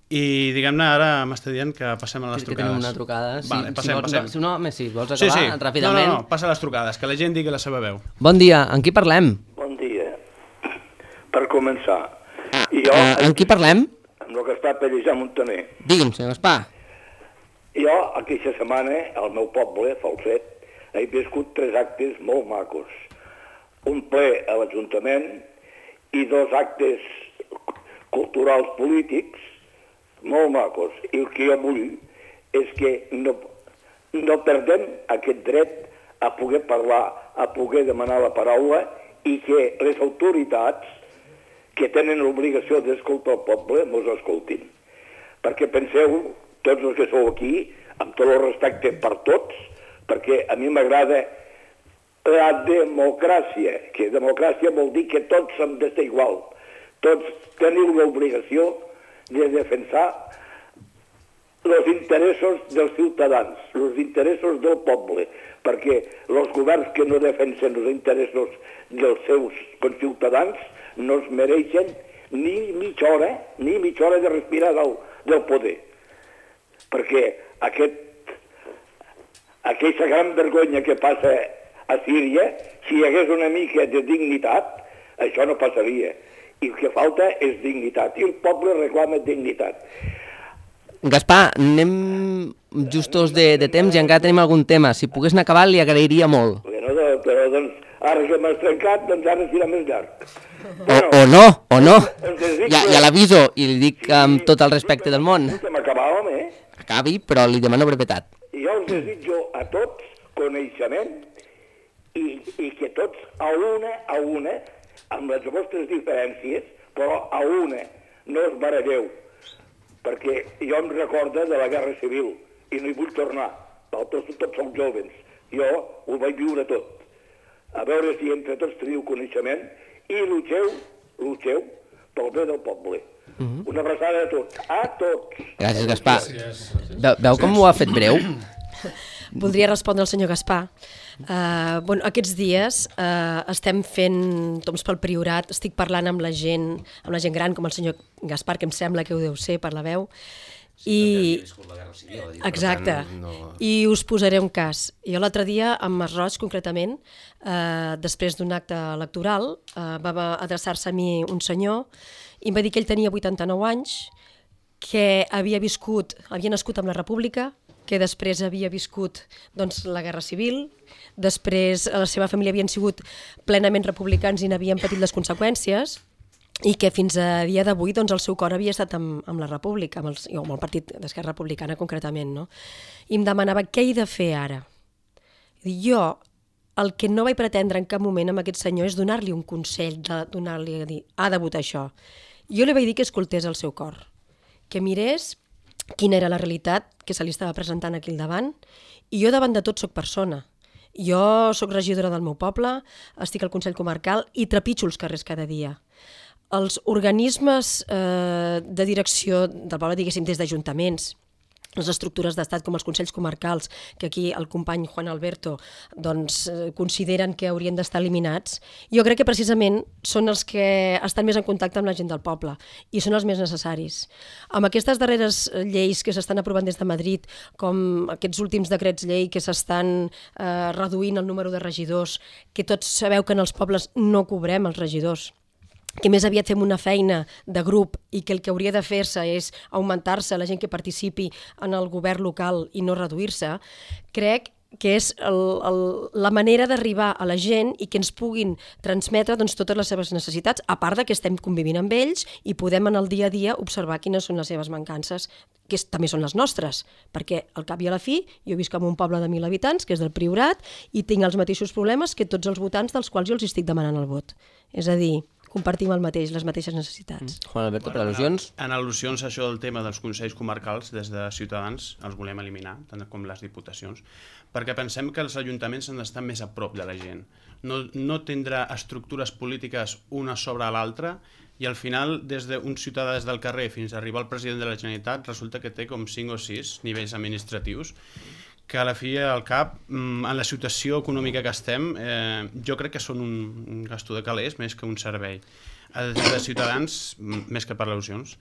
I, diguem-ne, ara m'està dient que passem a les trucades. Que tenim una trucada. Vale, passem. Si vols acabar ràpidament. No, passa a les trucades, que la gent digui la seva veu. Bon dia, amb qui parlem? Bon dia. Per començar. Amb qui parlem? Amb el Gaspar Pellejà Montaner. Digui'm, senyor Gaspar. Jo, aquesta setmana, al meu poble, Falset, he viscut 3 actes molt macos. Un ple a l'Ajuntament i 2 actes culturals polítics molt macos. I el que jo vull és que no perdem aquest dret a poder parlar, a poder demanar la paraula i que les autoritats que tenen l'obligació d'escoltar el poble mos escoltin. Perquè penseu, tots els que sou aquí, amb tot el respecte per tots, perquè a mi m'agrada la democràcia, que democràcia vol dir que tots hem d'estar igual. Tots teniu l'obligació de defensar els interessos dels ciutadans, els interessos del poble, perquè els governs que no defensen els interessos dels seus conciutadans no es mereixen ni mitja hora de respirar del poder. Perquè aquesta gran vergonya que passa a Síria, si hi hagués una mica de dignitat, això no passaria. I el que falta és dignitat, i el poble reclama dignitat. Gaspar, anem justos de temps i encara tenim algun tema. Si pogués anar acabant, li agrairia molt. Però doncs, ara que m'has trencat, doncs ara serà més llarg. O no. Ja l'aviso i li dic amb tot el respecte del món. M'acabàvem, Acabi, però li demano brevetat. Jo us desitjo a tots coneixement i que tots a una, amb les vostres diferències, però a una, no us baralleu, perquè jo em recordo de la Guerra Civil i no hi vull tornar, tots som jovens, jo ho vaig viure tot. A veure si entre tots teniu coneixement i lluiteu pel bé del poble. Una abraçada a tots. Gràcies, Gaspar. Veu com ho ha fet breu? Voldria respondre al senyor Gaspar. Aquests dies estem fent toms pel Priorat, estic parlant amb la gent gran, com el senyor Gaspar, que em sembla que ho deu ser per la veu, exacte, i us posaré un cas. Jo l'altre dia, amb Masroig concretament, després d'un acte electoral, va adreçar-se a mi un senyor i em va dir que ell tenia 89 anys, que havia nascut amb la República, que després havia viscut la Guerra Civil, després la seva família havien sigut plenament republicans i n'havien patit les conseqüències, i que fins a dia d'avui el seu cor havia estat amb la República, amb el Partit d'Esquerra Republicana concretament. I em demanava què he de fer ara. Jo el que no vaig pretendre en cap moment amb aquest senyor és donar-li un consell, donar-li a dir, ha de votar això. Jo li vaig dir que escoltés el seu cor, que mirés quina era la realitat que se li estava presentant aquí al davant, i jo davant de tot soc persona. Jo soc regidora del meu poble, estic al Consell Comarcal i trepitjo els carrers cada dia. Els organismes de direcció del poble, diguéssim, des d'ajuntaments, les estructures d'estat com els consells comarcals, que aquí el company Juan Alberto consideren que haurien d'estar eliminats, jo crec que precisament són els que estan més en contacte amb la gent del poble i són els més necessaris. Amb aquestes darreres lleis que s'estan aprovant des de Madrid, com aquests últims decrets llei que s'estan reduint el número de regidors, que tots sabeu que en els pobles no cobrem els regidors, que més aviat fem una feina de grup i que el que hauria de fer-se és augmentar-se la gent que participi en el govern local i no reduir-se, crec que és la manera d'arribar a la gent i que ens puguin transmetre totes les seves necessitats, a part de que estem convivint amb ells i podem en el dia a dia observar quines són les seves mancances, que també són les nostres, perquè al cap i a la fi jo visc en un poble de 1.000 habitants, que és del Priorat, i tinc els mateixos problemes que tots els votants dels quals jo els estic demanant el vot. És a dir, compartim les mateixes necessitats. Juan Alberto, per al·lusions? En al·lusions, això del tema dels consells comarcals, des de Ciutadans els volem eliminar, tant com les diputacions, perquè pensem que els ajuntaments han d'estar més a prop de la gent. No tindrà estructures polítiques una sobre l'altra i al final, des d'un ciutadà des del carrer fins a arribar al president de la Generalitat, resulta que té com 5 o 6 nivells administratius que a la fi i al cap, en la situació econòmica que estem, jo crec que són un gasto de calés més que un servei. Des de Ciutadans, més que per al·lusions,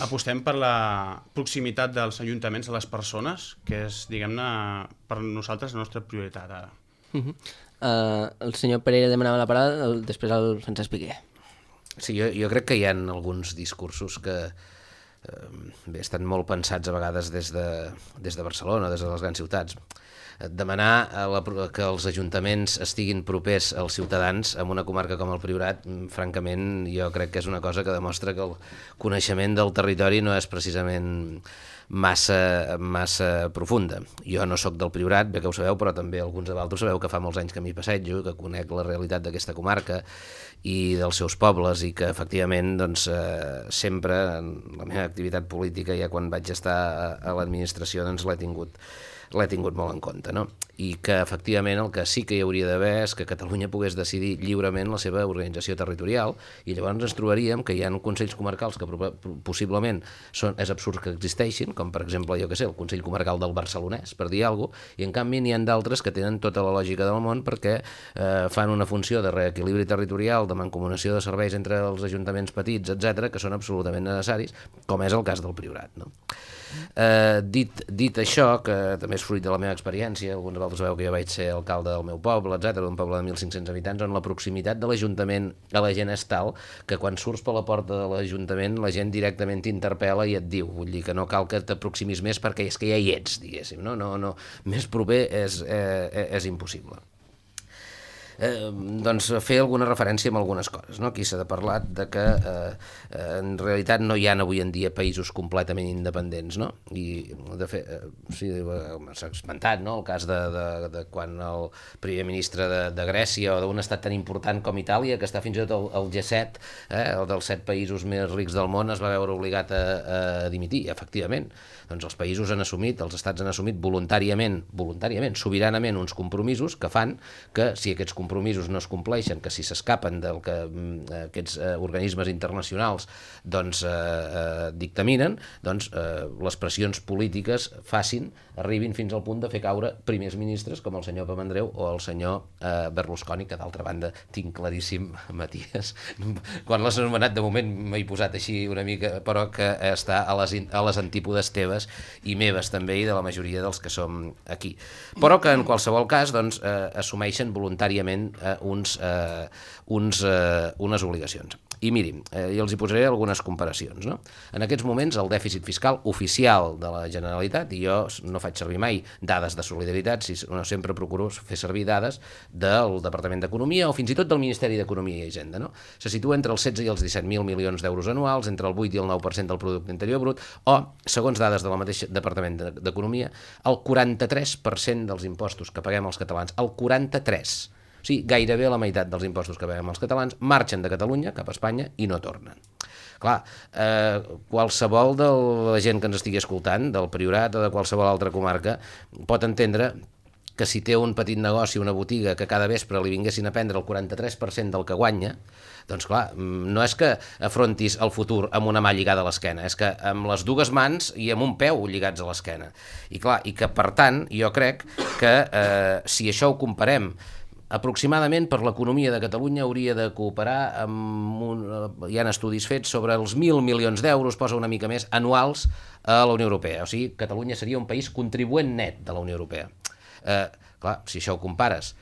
apostem per la proximitat dels ajuntaments a les persones, que és, diguem-ne, per nosaltres la nostra prioritat ara. El senyor Pereira demanava la paraula, després el Francesc Piqué. Sí, jo crec que hi ha alguns discursos que estan molt pensats a vegades des de Barcelona, des de les grans ciutats. Demanar que els ajuntaments estiguin propers als ciutadans en una comarca com el Priorat, francament, jo crec que és una cosa que demostra que el coneixement del territori no és precisament massa profunda. Jo no sóc del Priorat, bé que ho sabeu, però també alguns de vosaltres sabeu que fa molts anys que m'hi passejo, que conec la realitat d'aquesta comarca i dels seus pobles i que efectivament sempre en la meva activitat política, ja quan vaig estar a l'administració, l'he tingut molt en compte, no? I que efectivament el que sí que hi hauria d'haver és que Catalunya pogués decidir lliurement la seva organització territorial i llavors ens trobaríem que hi ha consells comarcals que possiblement és absurd que existeixin, com per exemple, jo què sé, el Consell Comarcal del Barcelonès, per dir alguna cosa, i en canvi n'hi ha d'altres que tenen tota la lògica del món perquè fan una funció de reequilibri territorial, de mancomunació de serveis entre els ajuntaments petits, etc, que són absolutament necessaris, com és el cas del Priorat, no? Dit això, que també és fruit de la meva experiència, alguns de vosaltres sabeu que jo vaig ser alcalde del meu poble, etc, d'un poble de 1.500 habitants, on la proximitat de l'Ajuntament a la gent és tal que quan surts per la porta de l'Ajuntament la gent directament t'interpel·la i et diu, vull dir que no cal que t'aproximis més perquè és que ja hi ets, diguéssim, no, més proper és impossible. Doncs fer alguna referència amb algunes coses, no? Aquí s'ha parlat de que en realitat no hi ha avui en dia països completament independents, no? I de fet, s'ha esmentat, no? El cas de quan el primer ministre de Grècia o d'un estat tan important com Itàlia, que està fins i tot al G7, el dels 7 països més rics del món, es va veure obligat a dimitir, efectivament. Doncs els països han assumit, els estats han assumit voluntàriament, sobiranament, uns compromisos que fan que si aquests compromisos no es compleixen, que si s'escapen del que aquests organismes internacionals dictaminen, les pressions polítiques arribin fins al punt de fer caure primers ministres com el senyor Papandreou o el senyor Berlusconi, que d'altra banda tinc claríssim, Matías, quan l'has anomenat de moment m'he posat així una mica, però que està a les antípodes teves i meves també i de la majoria dels que som aquí. Però que en qualsevol cas assumeixen voluntàriament unes obligacions. I mirin, jo els hi posaré algunes comparacions, no? En aquests moments el dèficit fiscal oficial de la Generalitat, i jo no faig servir mai dades de solidaritat, sempre procuro fer servir dades del Departament d'Economia o fins i tot del Ministeri d'Economia i Hisenda, no? Se situa entre els 16 i els 17.000 milions d'euros anuals, entre el 8 i el 9% del producte interior brut, o, segons dades del mateix Departament d'Economia, el 43% dels impostos que paguem els catalans, el 43%, o sigui, gairebé la meitat dels impostos que paguem els catalans marxen de Catalunya cap a Espanya i no tornen. Clar, qualsevol de la gent que ens estigui escoltant, del Priorat o de qualsevol altra comarca, pot entendre que si té un petit negoci, una botiga, que cada vespre li vinguessin a prendre el 43% del que guanya, doncs clar, no és que afrontis el futur amb una mà lligada a l'esquena, és que amb les dues mans i amb un peu lligats a l'esquena. I clar, i que per tant, jo crec que si això ho comparem aproximadament per l'economia de Catalunya hauria de cooperar amb hi ha estudis fets sobre els 1.000 milions d'euros, posa una mica més, anuals a la Unió Europea. O sigui, Catalunya seria un país contribuent net de la Unió Europea. Clar, si això ho compares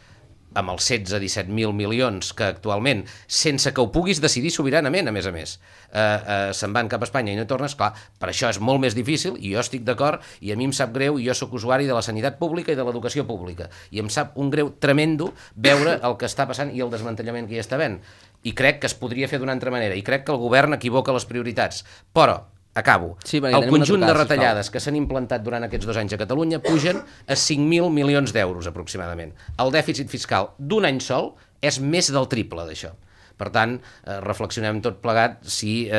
amb els 16-17.000 milions que actualment, sense que ho puguis decidir sobiranament, a més, se'n van cap a Espanya i no tornes, clar, per això és molt més difícil, i jo estic d'acord, i a mi em sap greu, i jo sóc usuari de la sanitat pública i de l'educació pública, i em sap un greu tremendo veure el que està passant i el desmantellament que hi està havent. I crec que es podria fer d'una altra manera, i crec que el govern equivoca les prioritats. Però acabo. Sí, el conjunt de retallades que s'han implantat durant aquests 2 anys a Catalunya pugen a 5.000 milions d'euros aproximadament. El dèficit fiscal d'un any sol és més del triple d'això. Per tant, reflexionem tot plegat si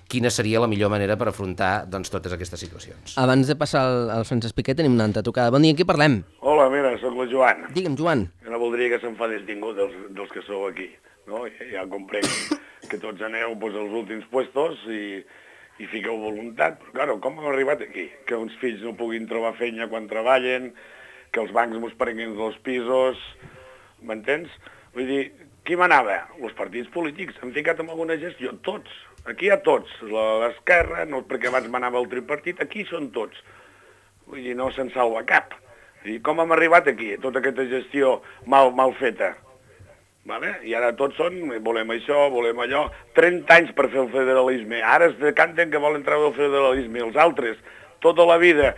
quina seria la millor manera per afrontar doncs, totes aquestes situacions. Abans de passar al Francesc Piqué tenim una altra trucada. Bon dia, qui parlem? Hola, mira, sóc la Joan. Digue'm, Joan. Jo no voldria que s'enfadés ningú dels que sou aquí. No? Ja comprenc que tots aneu als últims puestos i fiqueu voluntat, però claro, com hem arribat aquí? Que uns fills no puguin trobar feina quan treballen, que els bancs mos prenguin els pisos, m'entens? Vull dir, qui manava? Els partits polítics, han ficat en alguna gestió, tots, aquí hi ha tots, l'esquerra, no perquè abans manava el tripartit, aquí són tots, vull dir, no se'n salva cap. I com hem arribat aquí, tota aquesta gestió mal feta? Vale? I ara tots són, volem això, volem allò, 30 anys per fer el federalisme, ara es decanten que volen treure el federalisme, els altres, tota la vida,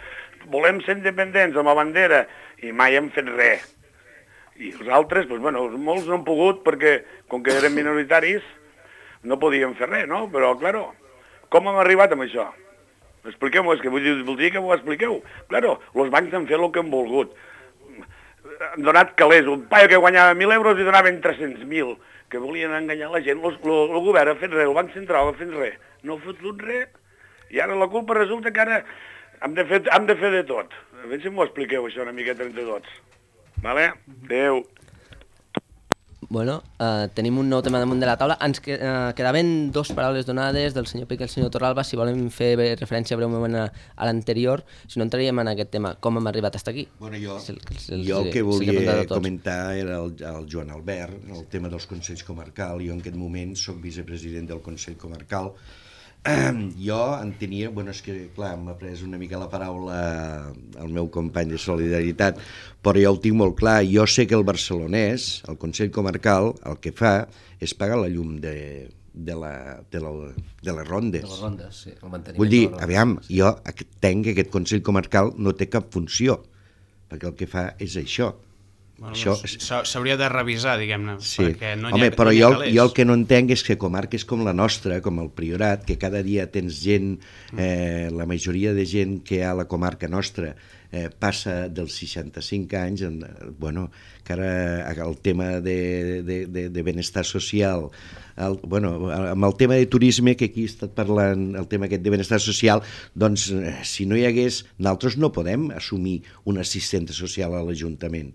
volem ser independents amb la bandera, i mai hem fet res. I els altres, doncs, bueno, molts no han pogut perquè, com que eren minoritaris, no podien fer res, no? Però, claro, com hem arribat amb això? Expliqueu-m'ho, és que voldria que m'ho expliqueu. Claro, els bancs han fet el que han volgut. Han donat calés, un paio que guanyava 1.000 euros i donaven 300.000, que volien enganyar la gent, el govern ha fet res, el Banc Central ha fet res, no ha fotut res, i ara la culpa resulta que ara hem de fer de tot. A veure si m'ho expliqueu això una miqueta entre tots. Vale? Adéu. Bueno, tenim un nou tema damunt de la taula. Ens quedaven 2 paraules donades del senyor Piqué i el senyor Torralba, si volem fer referència breument a l'anterior, si no entraríem en aquest tema, com hem arribat fins aquí. Bueno, jo el que volia comentar era el Joan Albert, el tema dels Consells Comarcal. Jo en aquest moment soc vicepresident del Consell Comarcal. Jo entenia, bueno, és que clar, m'ha pres una mica la paraula el meu company de Solidaritat, però jo ho tinc molt clar. Jo sé que el barcelonès, el Consell Comarcal, el que fa és pagar la llum de les rondes. De les rondes, sí. Vull dir, aviam, jo entenc que aquest Consell Comarcal no té cap funció, perquè el que fa és això. Bueno, s'hauria de revisar, diguem-ne, sí. Perquè no Home, però jo el que no entenc és que comarques com la nostra, com el Priorat, que cada dia tens gent, la majoria de gent que hi ha a la comarca nostra passa dels 65 anys, bueno, que ara el tema de benestar social, amb el tema de turisme, que aquí he estat parlant, el tema aquest de benestar social, doncs si no hi hagués, nosaltres no podem assumir un assistent social a l'Ajuntament.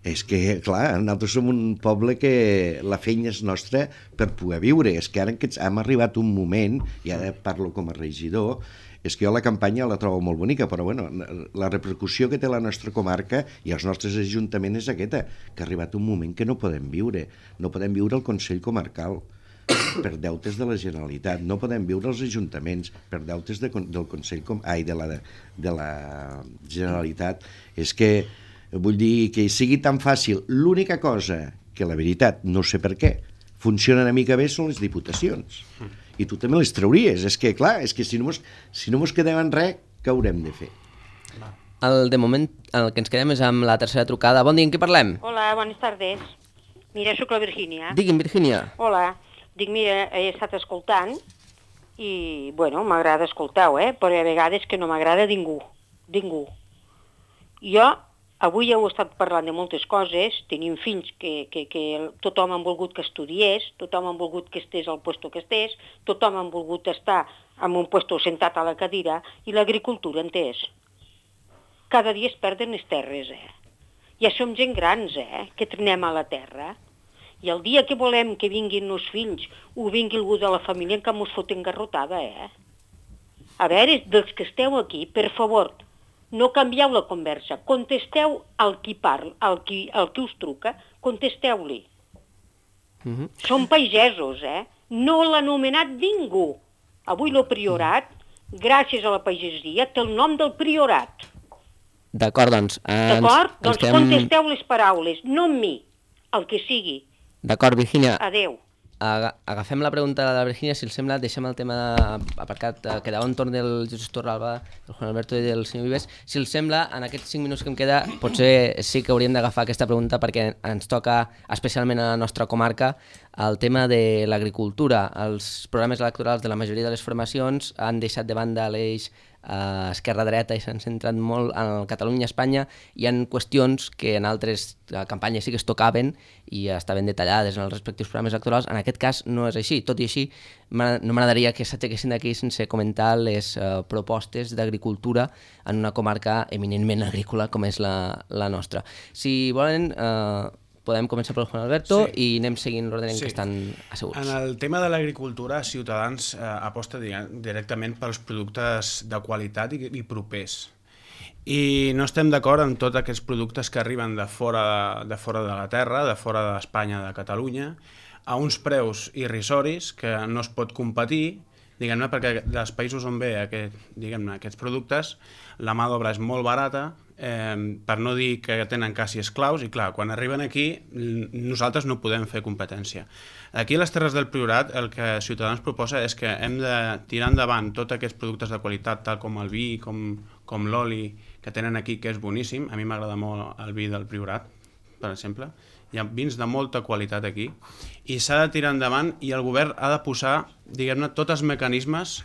És que, clar, nosaltres som un poble que la feina és nostra per poder viure. És que ara hem arribat un moment, i ara parlo com a regidor, és que jo la campanya la trobo molt bonica, però bueno, la repercussió que té la nostra comarca i els nostres ajuntaments és aquesta, que ha arribat un moment que no podem viure. No podem viure el Consell Comarcal per deutes de la Generalitat, no podem viure els ajuntaments per deutes del Consell de la Generalitat. És que vull dir que sigui tan fàcil. L'única cosa que, la veritat, no sé per què, funciona una mica bé són les diputacions. I tu també les trauries. És que, clar, és que si no mos quedem en res, què haurem de fer? De moment, el que ens quedem és amb la tercera trucada. Bon dia, en què parlem? Hola, bones tardes. Mira, sóc la Virgínia. Digui'm, Virgínia. Hola. Dic, mira, he estat escoltant i, bueno, m'agrada escoltar-ho, però a vegades que no m'agrada ningú. Ningú. Jo avui heu estat parlant de moltes coses, tenim fills que tothom ha volgut que estudiés, tothom ha volgut que estés al puesto que estés, tothom ha volgut estar en un puesto sentat a la cadira, i l'agricultura en què és? cada dia es perden les terres, Ja som gent grans, que trenem a la terra. I el dia que volem que vinguin els fills o vingui algú de la família en què mos foten garrotada, A veure, dels que esteu aquí, per favor, no canvieu la conversa. Contesteu al qui parla, al qui us truca, contesteu-li. Són pagesos, No l'ha anomenat ningú. Avui el priorat, gràcies a la pagesia, té el nom del priorat. D'acord, doncs... D'acord? Doncs contesteu les paraules, no amb mi, el que sigui. D'acord, Virgínia. Adéu. Agafem la pregunta de la Virgínia, si els sembla, deixem el tema aparcat, quedava entorn del Jesús Torralba, del Juan Alberto i del senyor Vives. Si els sembla, en aquests 5 minuts que em queda, potser sí que hauríem d'agafar aquesta pregunta perquè ens toca, especialment a la nostra comarca, el tema de l'agricultura. Els programes electorals de la majoria de les formacions han deixat de banda l'eix esquerra-dreta i s'han centrat molt en Catalunya i Espanya. Hi ha qüestions que en altres campanyes sí que es tocaven i estaven detallades en els respectius programes electorals. En aquest cas no és així. Tot i així, no m'agradaria que s'aixequessin d'aquí sense comentar les propostes d'agricultura en una comarca eminentment agrícola com és la nostra. Si volen... podem començar pel Juan Alberto i anem seguint l'ordre en què estan asseguts. En el tema de l'agricultura, Ciutadans aposta directament pels productes de qualitat i propers. I no estem d'acord amb tots aquests productes que arriben de fora de la terra, de fora d'Espanya, de Catalunya, a uns preus irrisoris que no es pot competir, diguem-ne, perquè dels països on ve aquests productes, la mà d'obra és molt barata, per no dir que tenen quasi esclaus, i clar, quan arriben aquí nosaltres no podem fer competència. Aquí a les Terres del Priorat el que Ciutadans proposa és que hem de tirar endavant tots aquests productes de qualitat, tal com el vi, com l'oli que tenen aquí, que és boníssim. A mi m'agrada molt el vi del Priorat, per exemple. Hi ha vins de molta qualitat aquí i s'ha de tirar endavant i el govern ha de posar, diguem-ne, tots els mecanismes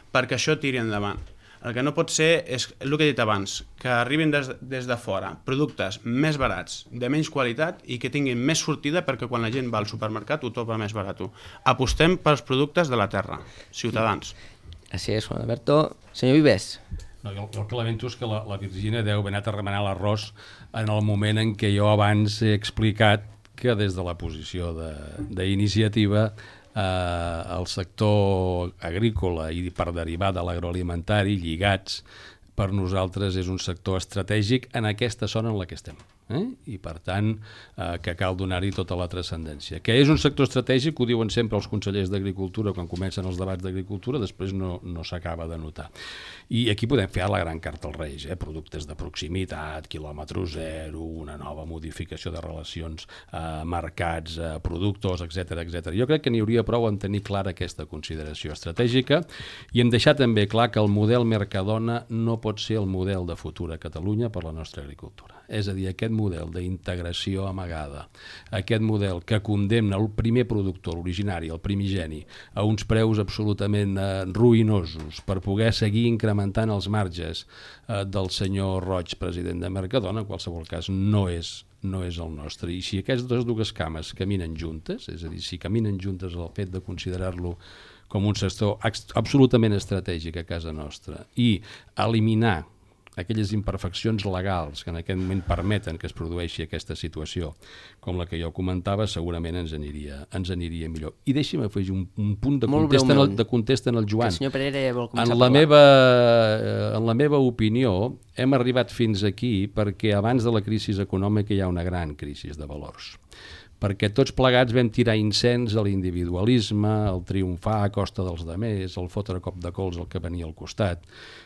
perquè això tiri endavant. El que no pot ser és el que he dit abans, que arribin des de fora productes més barats, de menys qualitat i que tinguin més sortida perquè quan la gent va al supermercat ho troba més barat. Apostem pels productes de la terra, Ciutadans. Així és, Juan Alberto. Senyor Vives. No, jo el que lamento és que la Virgínia deu haver anat a remenar l'arròs en el moment en què jo abans he explicat que des de la posició d'iniciativa el sector agrícola i per derivar de l'agroalimentari lligats per nosaltres és un sector estratègic en aquesta zona en la que estem. I per tant que cal donar-hi tota la transcendència. Que és un sector estratègic, ho diuen sempre els consellers d'Agricultura quan comencen els debats d'agricultura, després no s'acaba de notar. I aquí podem fer la gran carta als Reis, productes de proximitat, quilòmetre zero, una nova modificació de relacions, mercats, productors, etc. Jo crec que n'hi hauria prou en tenir clara aquesta consideració estratègica i en deixar també clar que el model Mercadona no pot ser el model de futur a Catalunya per la nostra agricultura. És a dir, aquest model d'integració amagada, aquest model que condemna el primer productor, l'originari, el primigeni, a uns preus absolutament ruïnosos per poder seguir incrementant els marges del senyor Roig, president de Mercadona, en qualsevol cas no és el nostre. I si aquestes dues cames caminen juntes, és a dir, si caminen juntes el fet de considerar-lo com un sector absolutament estratègic a casa nostra i eliminar aquelles imperfeccions legals que en aquest moment permeten que es produeixi aquesta situació, com la que jo comentava, segurament ens aniria millor. I deixi'm afegir un punt de contesta en el Joan. El senyor Pereira vol començar a parlar. En la meva opinió, hem arribat fins aquí perquè abans de la crisi econòmica hi ha una gran crisi de valors. Perquè tots plegats vam tirar incens a l'individualisme, al triomfar a costa dels demés, al fotre cop de cols al que venia al costat,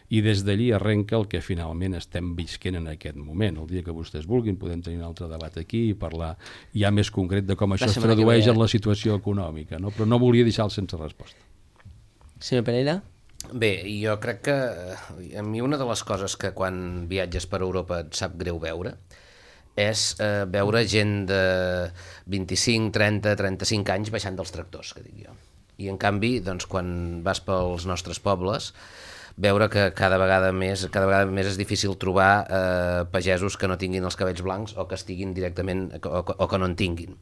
i des d'allí arrenca el que finalment estem visquent en aquest moment. El dia que vostès vulguin podem tenir un altre debat aquí i parlar ja més concret de com això es tradueix en la situació econòmica, no? Però no volia deixar-lo sense resposta. Senyor Pereira? Bé, jo crec que a mi una de les coses que quan viatges per Europa et sap greu veure és veure gent de 25, 30, 35 anys baixant dels tractors, que dic jo. I en canvi, doncs, quan vas pels nostres pobles, veure que cada vegada més és difícil trobar pagesos que no tinguin els cabells blancs o que estiguin directament o que no en tinguin.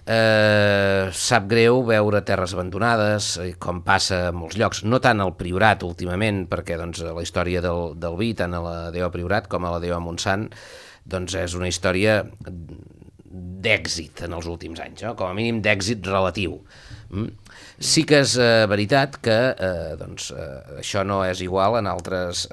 Sap greu veure terres abandonades, com passa a molts llocs, no tant al Priorat últimament, perquè doncs, la història del vi, tant a la DO Priorat com a la DO Montsant, doncs és una història d'èxit en els últims anys, no? Com a mínim d'èxit relatiu. Sí que és veritat que això no és igual en altres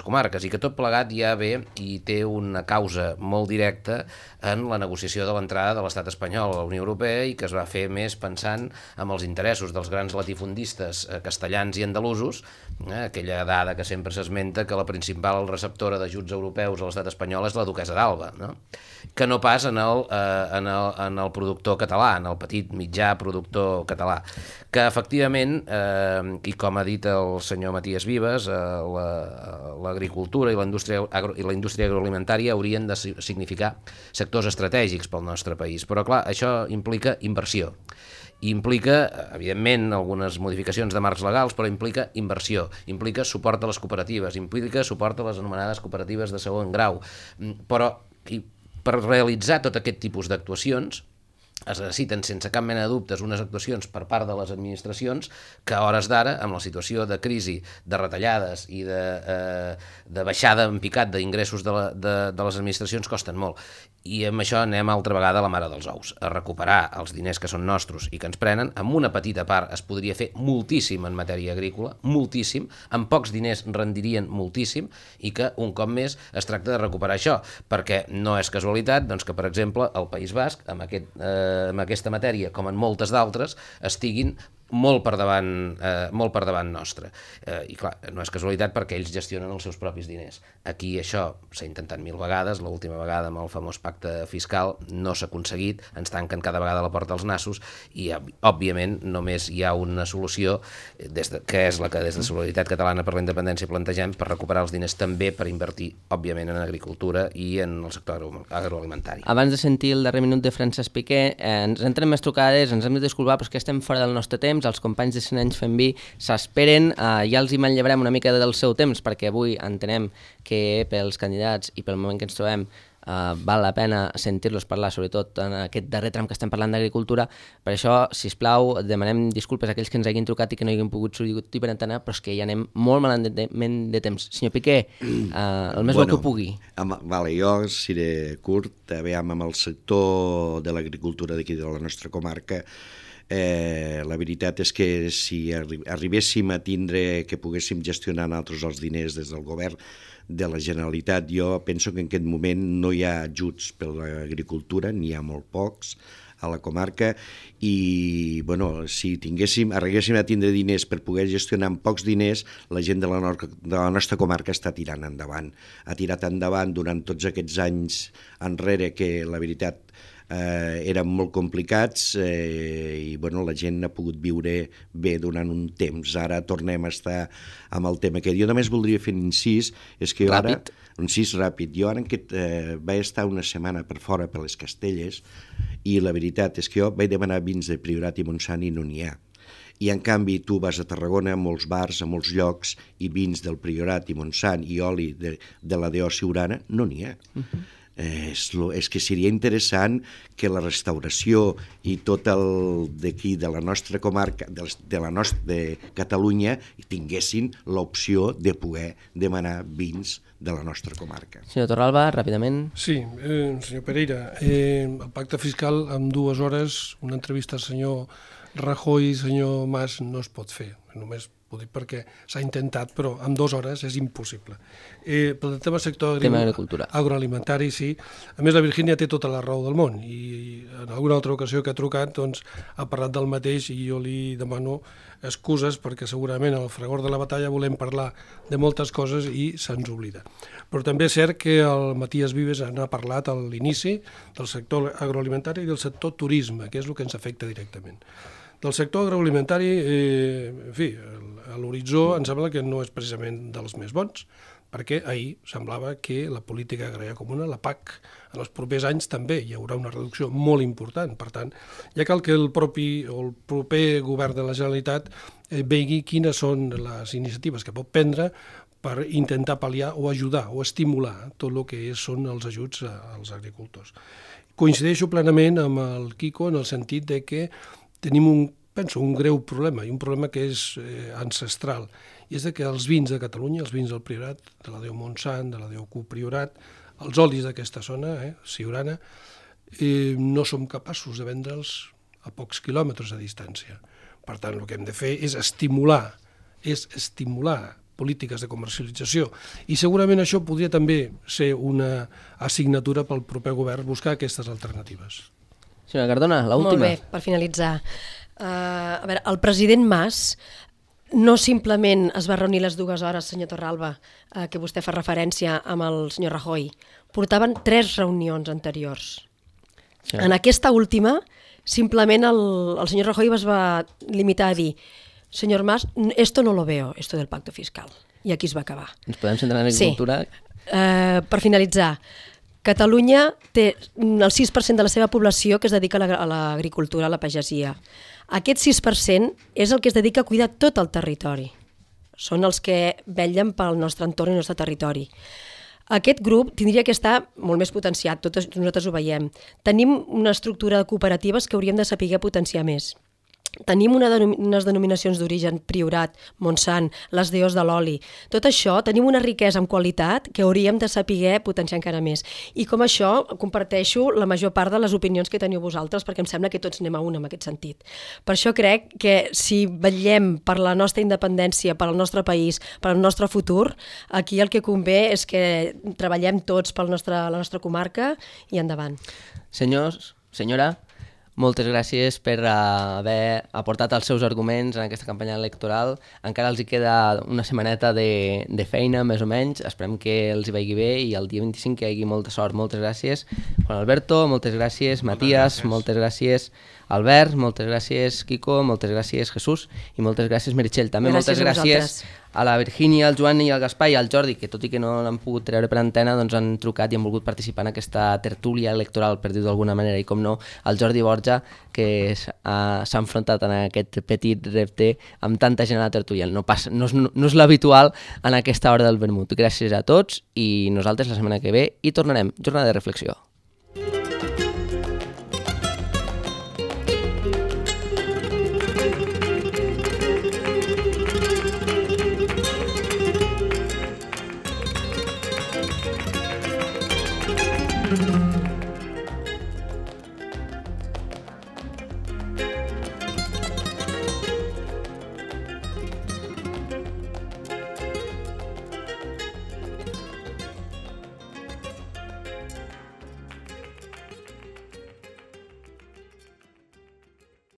comarques i que tot plegat ja ve i té una causa molt directa en la negociació de l'entrada de l'estat espanyol a la Unió Europea i que es va fer més pensant en els interessos dels grans latifundistes castellans i andalusos, aquella dada que sempre s'esmenta que la principal receptora d'ajuts europeus a l'estat espanyol és la duquessa d'Alba, no? Que no pas en el productor català, en el petit mitjà productor català, que efectivament, i com ha dit el senyor Matías Vives, l'agricultura i la indústria agroalimentària haurien de significar sectors estratègics pel nostre país, però clar, això implica inversió. Implica, evidentment, algunes modificacions de marcs legals, però implica inversió, implica suport a les cooperatives, implica suport a les anomenades cooperatives de segon grau, però per realitzar tot aquest tipus d'actuacions es necessiten sense cap mena de dubtes unes actuacions per part de les administracions que a hores d'ara, amb la situació de crisi, de retallades i de baixada en picat d'ingressos de les administracions costen molt. I amb això anem altra vegada a la mare dels ous, a recuperar els diners que són nostres i que ens prenen. Amb una petita part es podria fer moltíssim en matèria agrícola, moltíssim, amb pocs diners rendirien moltíssim i que un cop més es tracta de recuperar això, perquè no és casualitat doncs, que, per exemple, el País Basc, amb aquesta matèria, com en moltes d'altres, estiguin molt per davant nostre. I clar, no és casualitat perquè ells gestionen els seus propis diners. Aquí això s'ha intentat 1000 vegades, l'última vegada amb el famós pacte fiscal no s'ha aconseguit, ens tanquen cada vegada la porta als nassos i, òbviament, només hi ha una solució, que és la que des de Solidaritat Catalana per la Independència plantegem per recuperar els diners també per invertir, òbviament, en agricultura i en el sector agroalimentari. Abans de sentir el darrer minut de Francesc Piqué, ens entren més trucades, ens hem de disculpar, però és que estem fora del nostre temps, els companys de 100 anys fent vi s'esperen, ja els hi manllevarem una mica del seu temps perquè avui entenem que pels candidats i pel moment que ens trobem val la pena sentir-los parlar, sobretot en aquest darrer tram que estem parlant d'agricultura. Per això, sisplau, demanem disculpes a aquells que ens hagin trucat i que no hagin pogut sortir per antena, però és que ja anem molt malament de temps. Senyor Piqué, el més bo que pugui. Vale, jo seré curt. Aviam, amb el sector de l'agricultura d'aquí de la nostra comarca, la veritat és que si arribéssim a tindre que poguéssim gestionar nosaltres els diners des del govern de la Generalitat, jo penso que en aquest moment no hi ha ajuts per a l'agricultura, n'hi ha molt pocs a la comarca i si arribéssim a tindre diners per poder gestionar amb pocs diners, la gent de la nostra comarca està tirant endavant. Ha tirat endavant durant tots aquests anys enrere que la veritat eren molt complicats i la gent ha pogut viure bé durant un temps. Ara tornem a estar amb el tema que jo només voldria fer un incís, és que ràpid. Un incís ràpid. Jo ara vaig estar una setmana per fora per les Castelles i la veritat és que jo vaig demanar vins de Priorat i Montsant i no n'hi ha. I en canvi tu vas a Tarragona, a molts bars, a molts llocs, i vins del Priorat i Montsant i oli de la DO Siurana no n'hi ha. És que seria interessant que la restauració i tot el d'aquí de la nostra comarca, de Catalunya, tinguessin l'opció de poder demanar vins de la nostra comarca. Senyor Torralba, ràpidament. Sí, senyor Pereira, el pacte fiscal en 2 hores, una entrevista al senyor Rajoy i senyor Mas no es pot fer, només ho dic perquè s'ha intentat, però en 2 hores és impossible. Pel tema sector agroalimentari, sí. A més, la Virgínia té tota la raó del món i en alguna altra ocasió que ha trucat ha parlat del mateix i jo li demano excuses perquè segurament al fragor de la batalla volem parlar de moltes coses i se'ns oblida. Però també és cert que el Matías Vives n'ha parlat a l'inici del sector agroalimentari i del sector turisme, que és el que ens afecta directament. Del sector agroalimentari, en fi, a l'horitzó em sembla que no és precisament dels més bons, perquè ahir semblava que la política agrària comuna, la PAC, en els propers anys també hi haurà una reducció molt important. Per tant, ja cal que el proper govern de la Generalitat vegi quines són les iniciatives que pot prendre per intentar pal·liar o ajudar o estimular tot el que són els ajuts als agricultors. coincideixo plenament amb el Quico en el sentit de que tenim un greu problema, i un problema que és ancestral, i és que els vins de Catalunya, els vins del Priorat, de la Déu Montsant, de la Déu Cu Priorat, els olis d'aquesta zona, Siurana, no som capaços de vendre'ls a pocs quilòmetres de distància. Per tant, el que hem de fer és estimular polítiques de comercialització, i segurament això podria també ser una assignatura pel proper govern, buscar aquestes alternatives. Senyora Cardona, l'última. Molt bé, per finalitzar. A veure, el president Mas no simplement es va reunir les 2 hores, senyor Torralba, que vostè fa referència amb el senyor Rajoy. Portaven 3 reunions anteriors. Sí. En aquesta última, simplement el senyor Rajoy es va limitar a dir: senyor Mas, esto no lo veo, esto del pacto fiscal. I aquí es va acabar. Ens podem centrar en l'agricultura? Sí. Per finalitzar, Catalunya té el 6% de la seva població que es dedica a l'agricultura, a la pagesia. Aquest 6% és el que es dedica a cuidar tot el territori. Són els que vetllen pel nostre entorn i el nostre territori. Aquest grup tindria que estar molt més potenciat, nosaltres ho veiem. Tenim una estructura de cooperatives que hauríem de saber potenciar més. Tenim unes denominacions d'origen, Priorat, Montsant, les DOs de l'oli. Tot això, tenim una riquesa en qualitat que hauríem de saber potenciar encara més. I com això, comparteixo la major part de les opinions que teniu vosaltres, perquè em sembla que tots anem a una en aquest sentit. Per això crec que si vetllem per la nostra independència, per al nostre país, per al nostre futur, aquí el que convé és que treballem tots per la nostra comarca i endavant. Senyors, senyora, moltes gràcies per haver aportat els seus arguments en aquesta campanya electoral. Encara els hi queda una setmaneta de feina, més o menys. Esperem que els hi vagi bé i el dia 25 que hi hagi molta sort. Moltes gràcies, Juan Alberto, moltes gràcies, Matías, moltes gràcies, Albert, moltes gràcies, Quico, moltes gràcies, Jesús, i moltes gràcies, Meritxell. També moltes gràcies a la Virgínia, al Joan i al Gaspar i al Jordi, que tot i que no l'han pogut treure per antena, doncs han trucat i han volgut participar en aquesta tertúlia electoral, per dir-ho d'alguna manera, i com no, el Jordi Borja, que s'ha enfrontat en aquest petit repte amb tanta gent a la tertúlia. No és l'habitual en aquesta hora del vermut. Gràcies a tots i nosaltres la setmana que ve hi tornarem. Jornada de reflexió.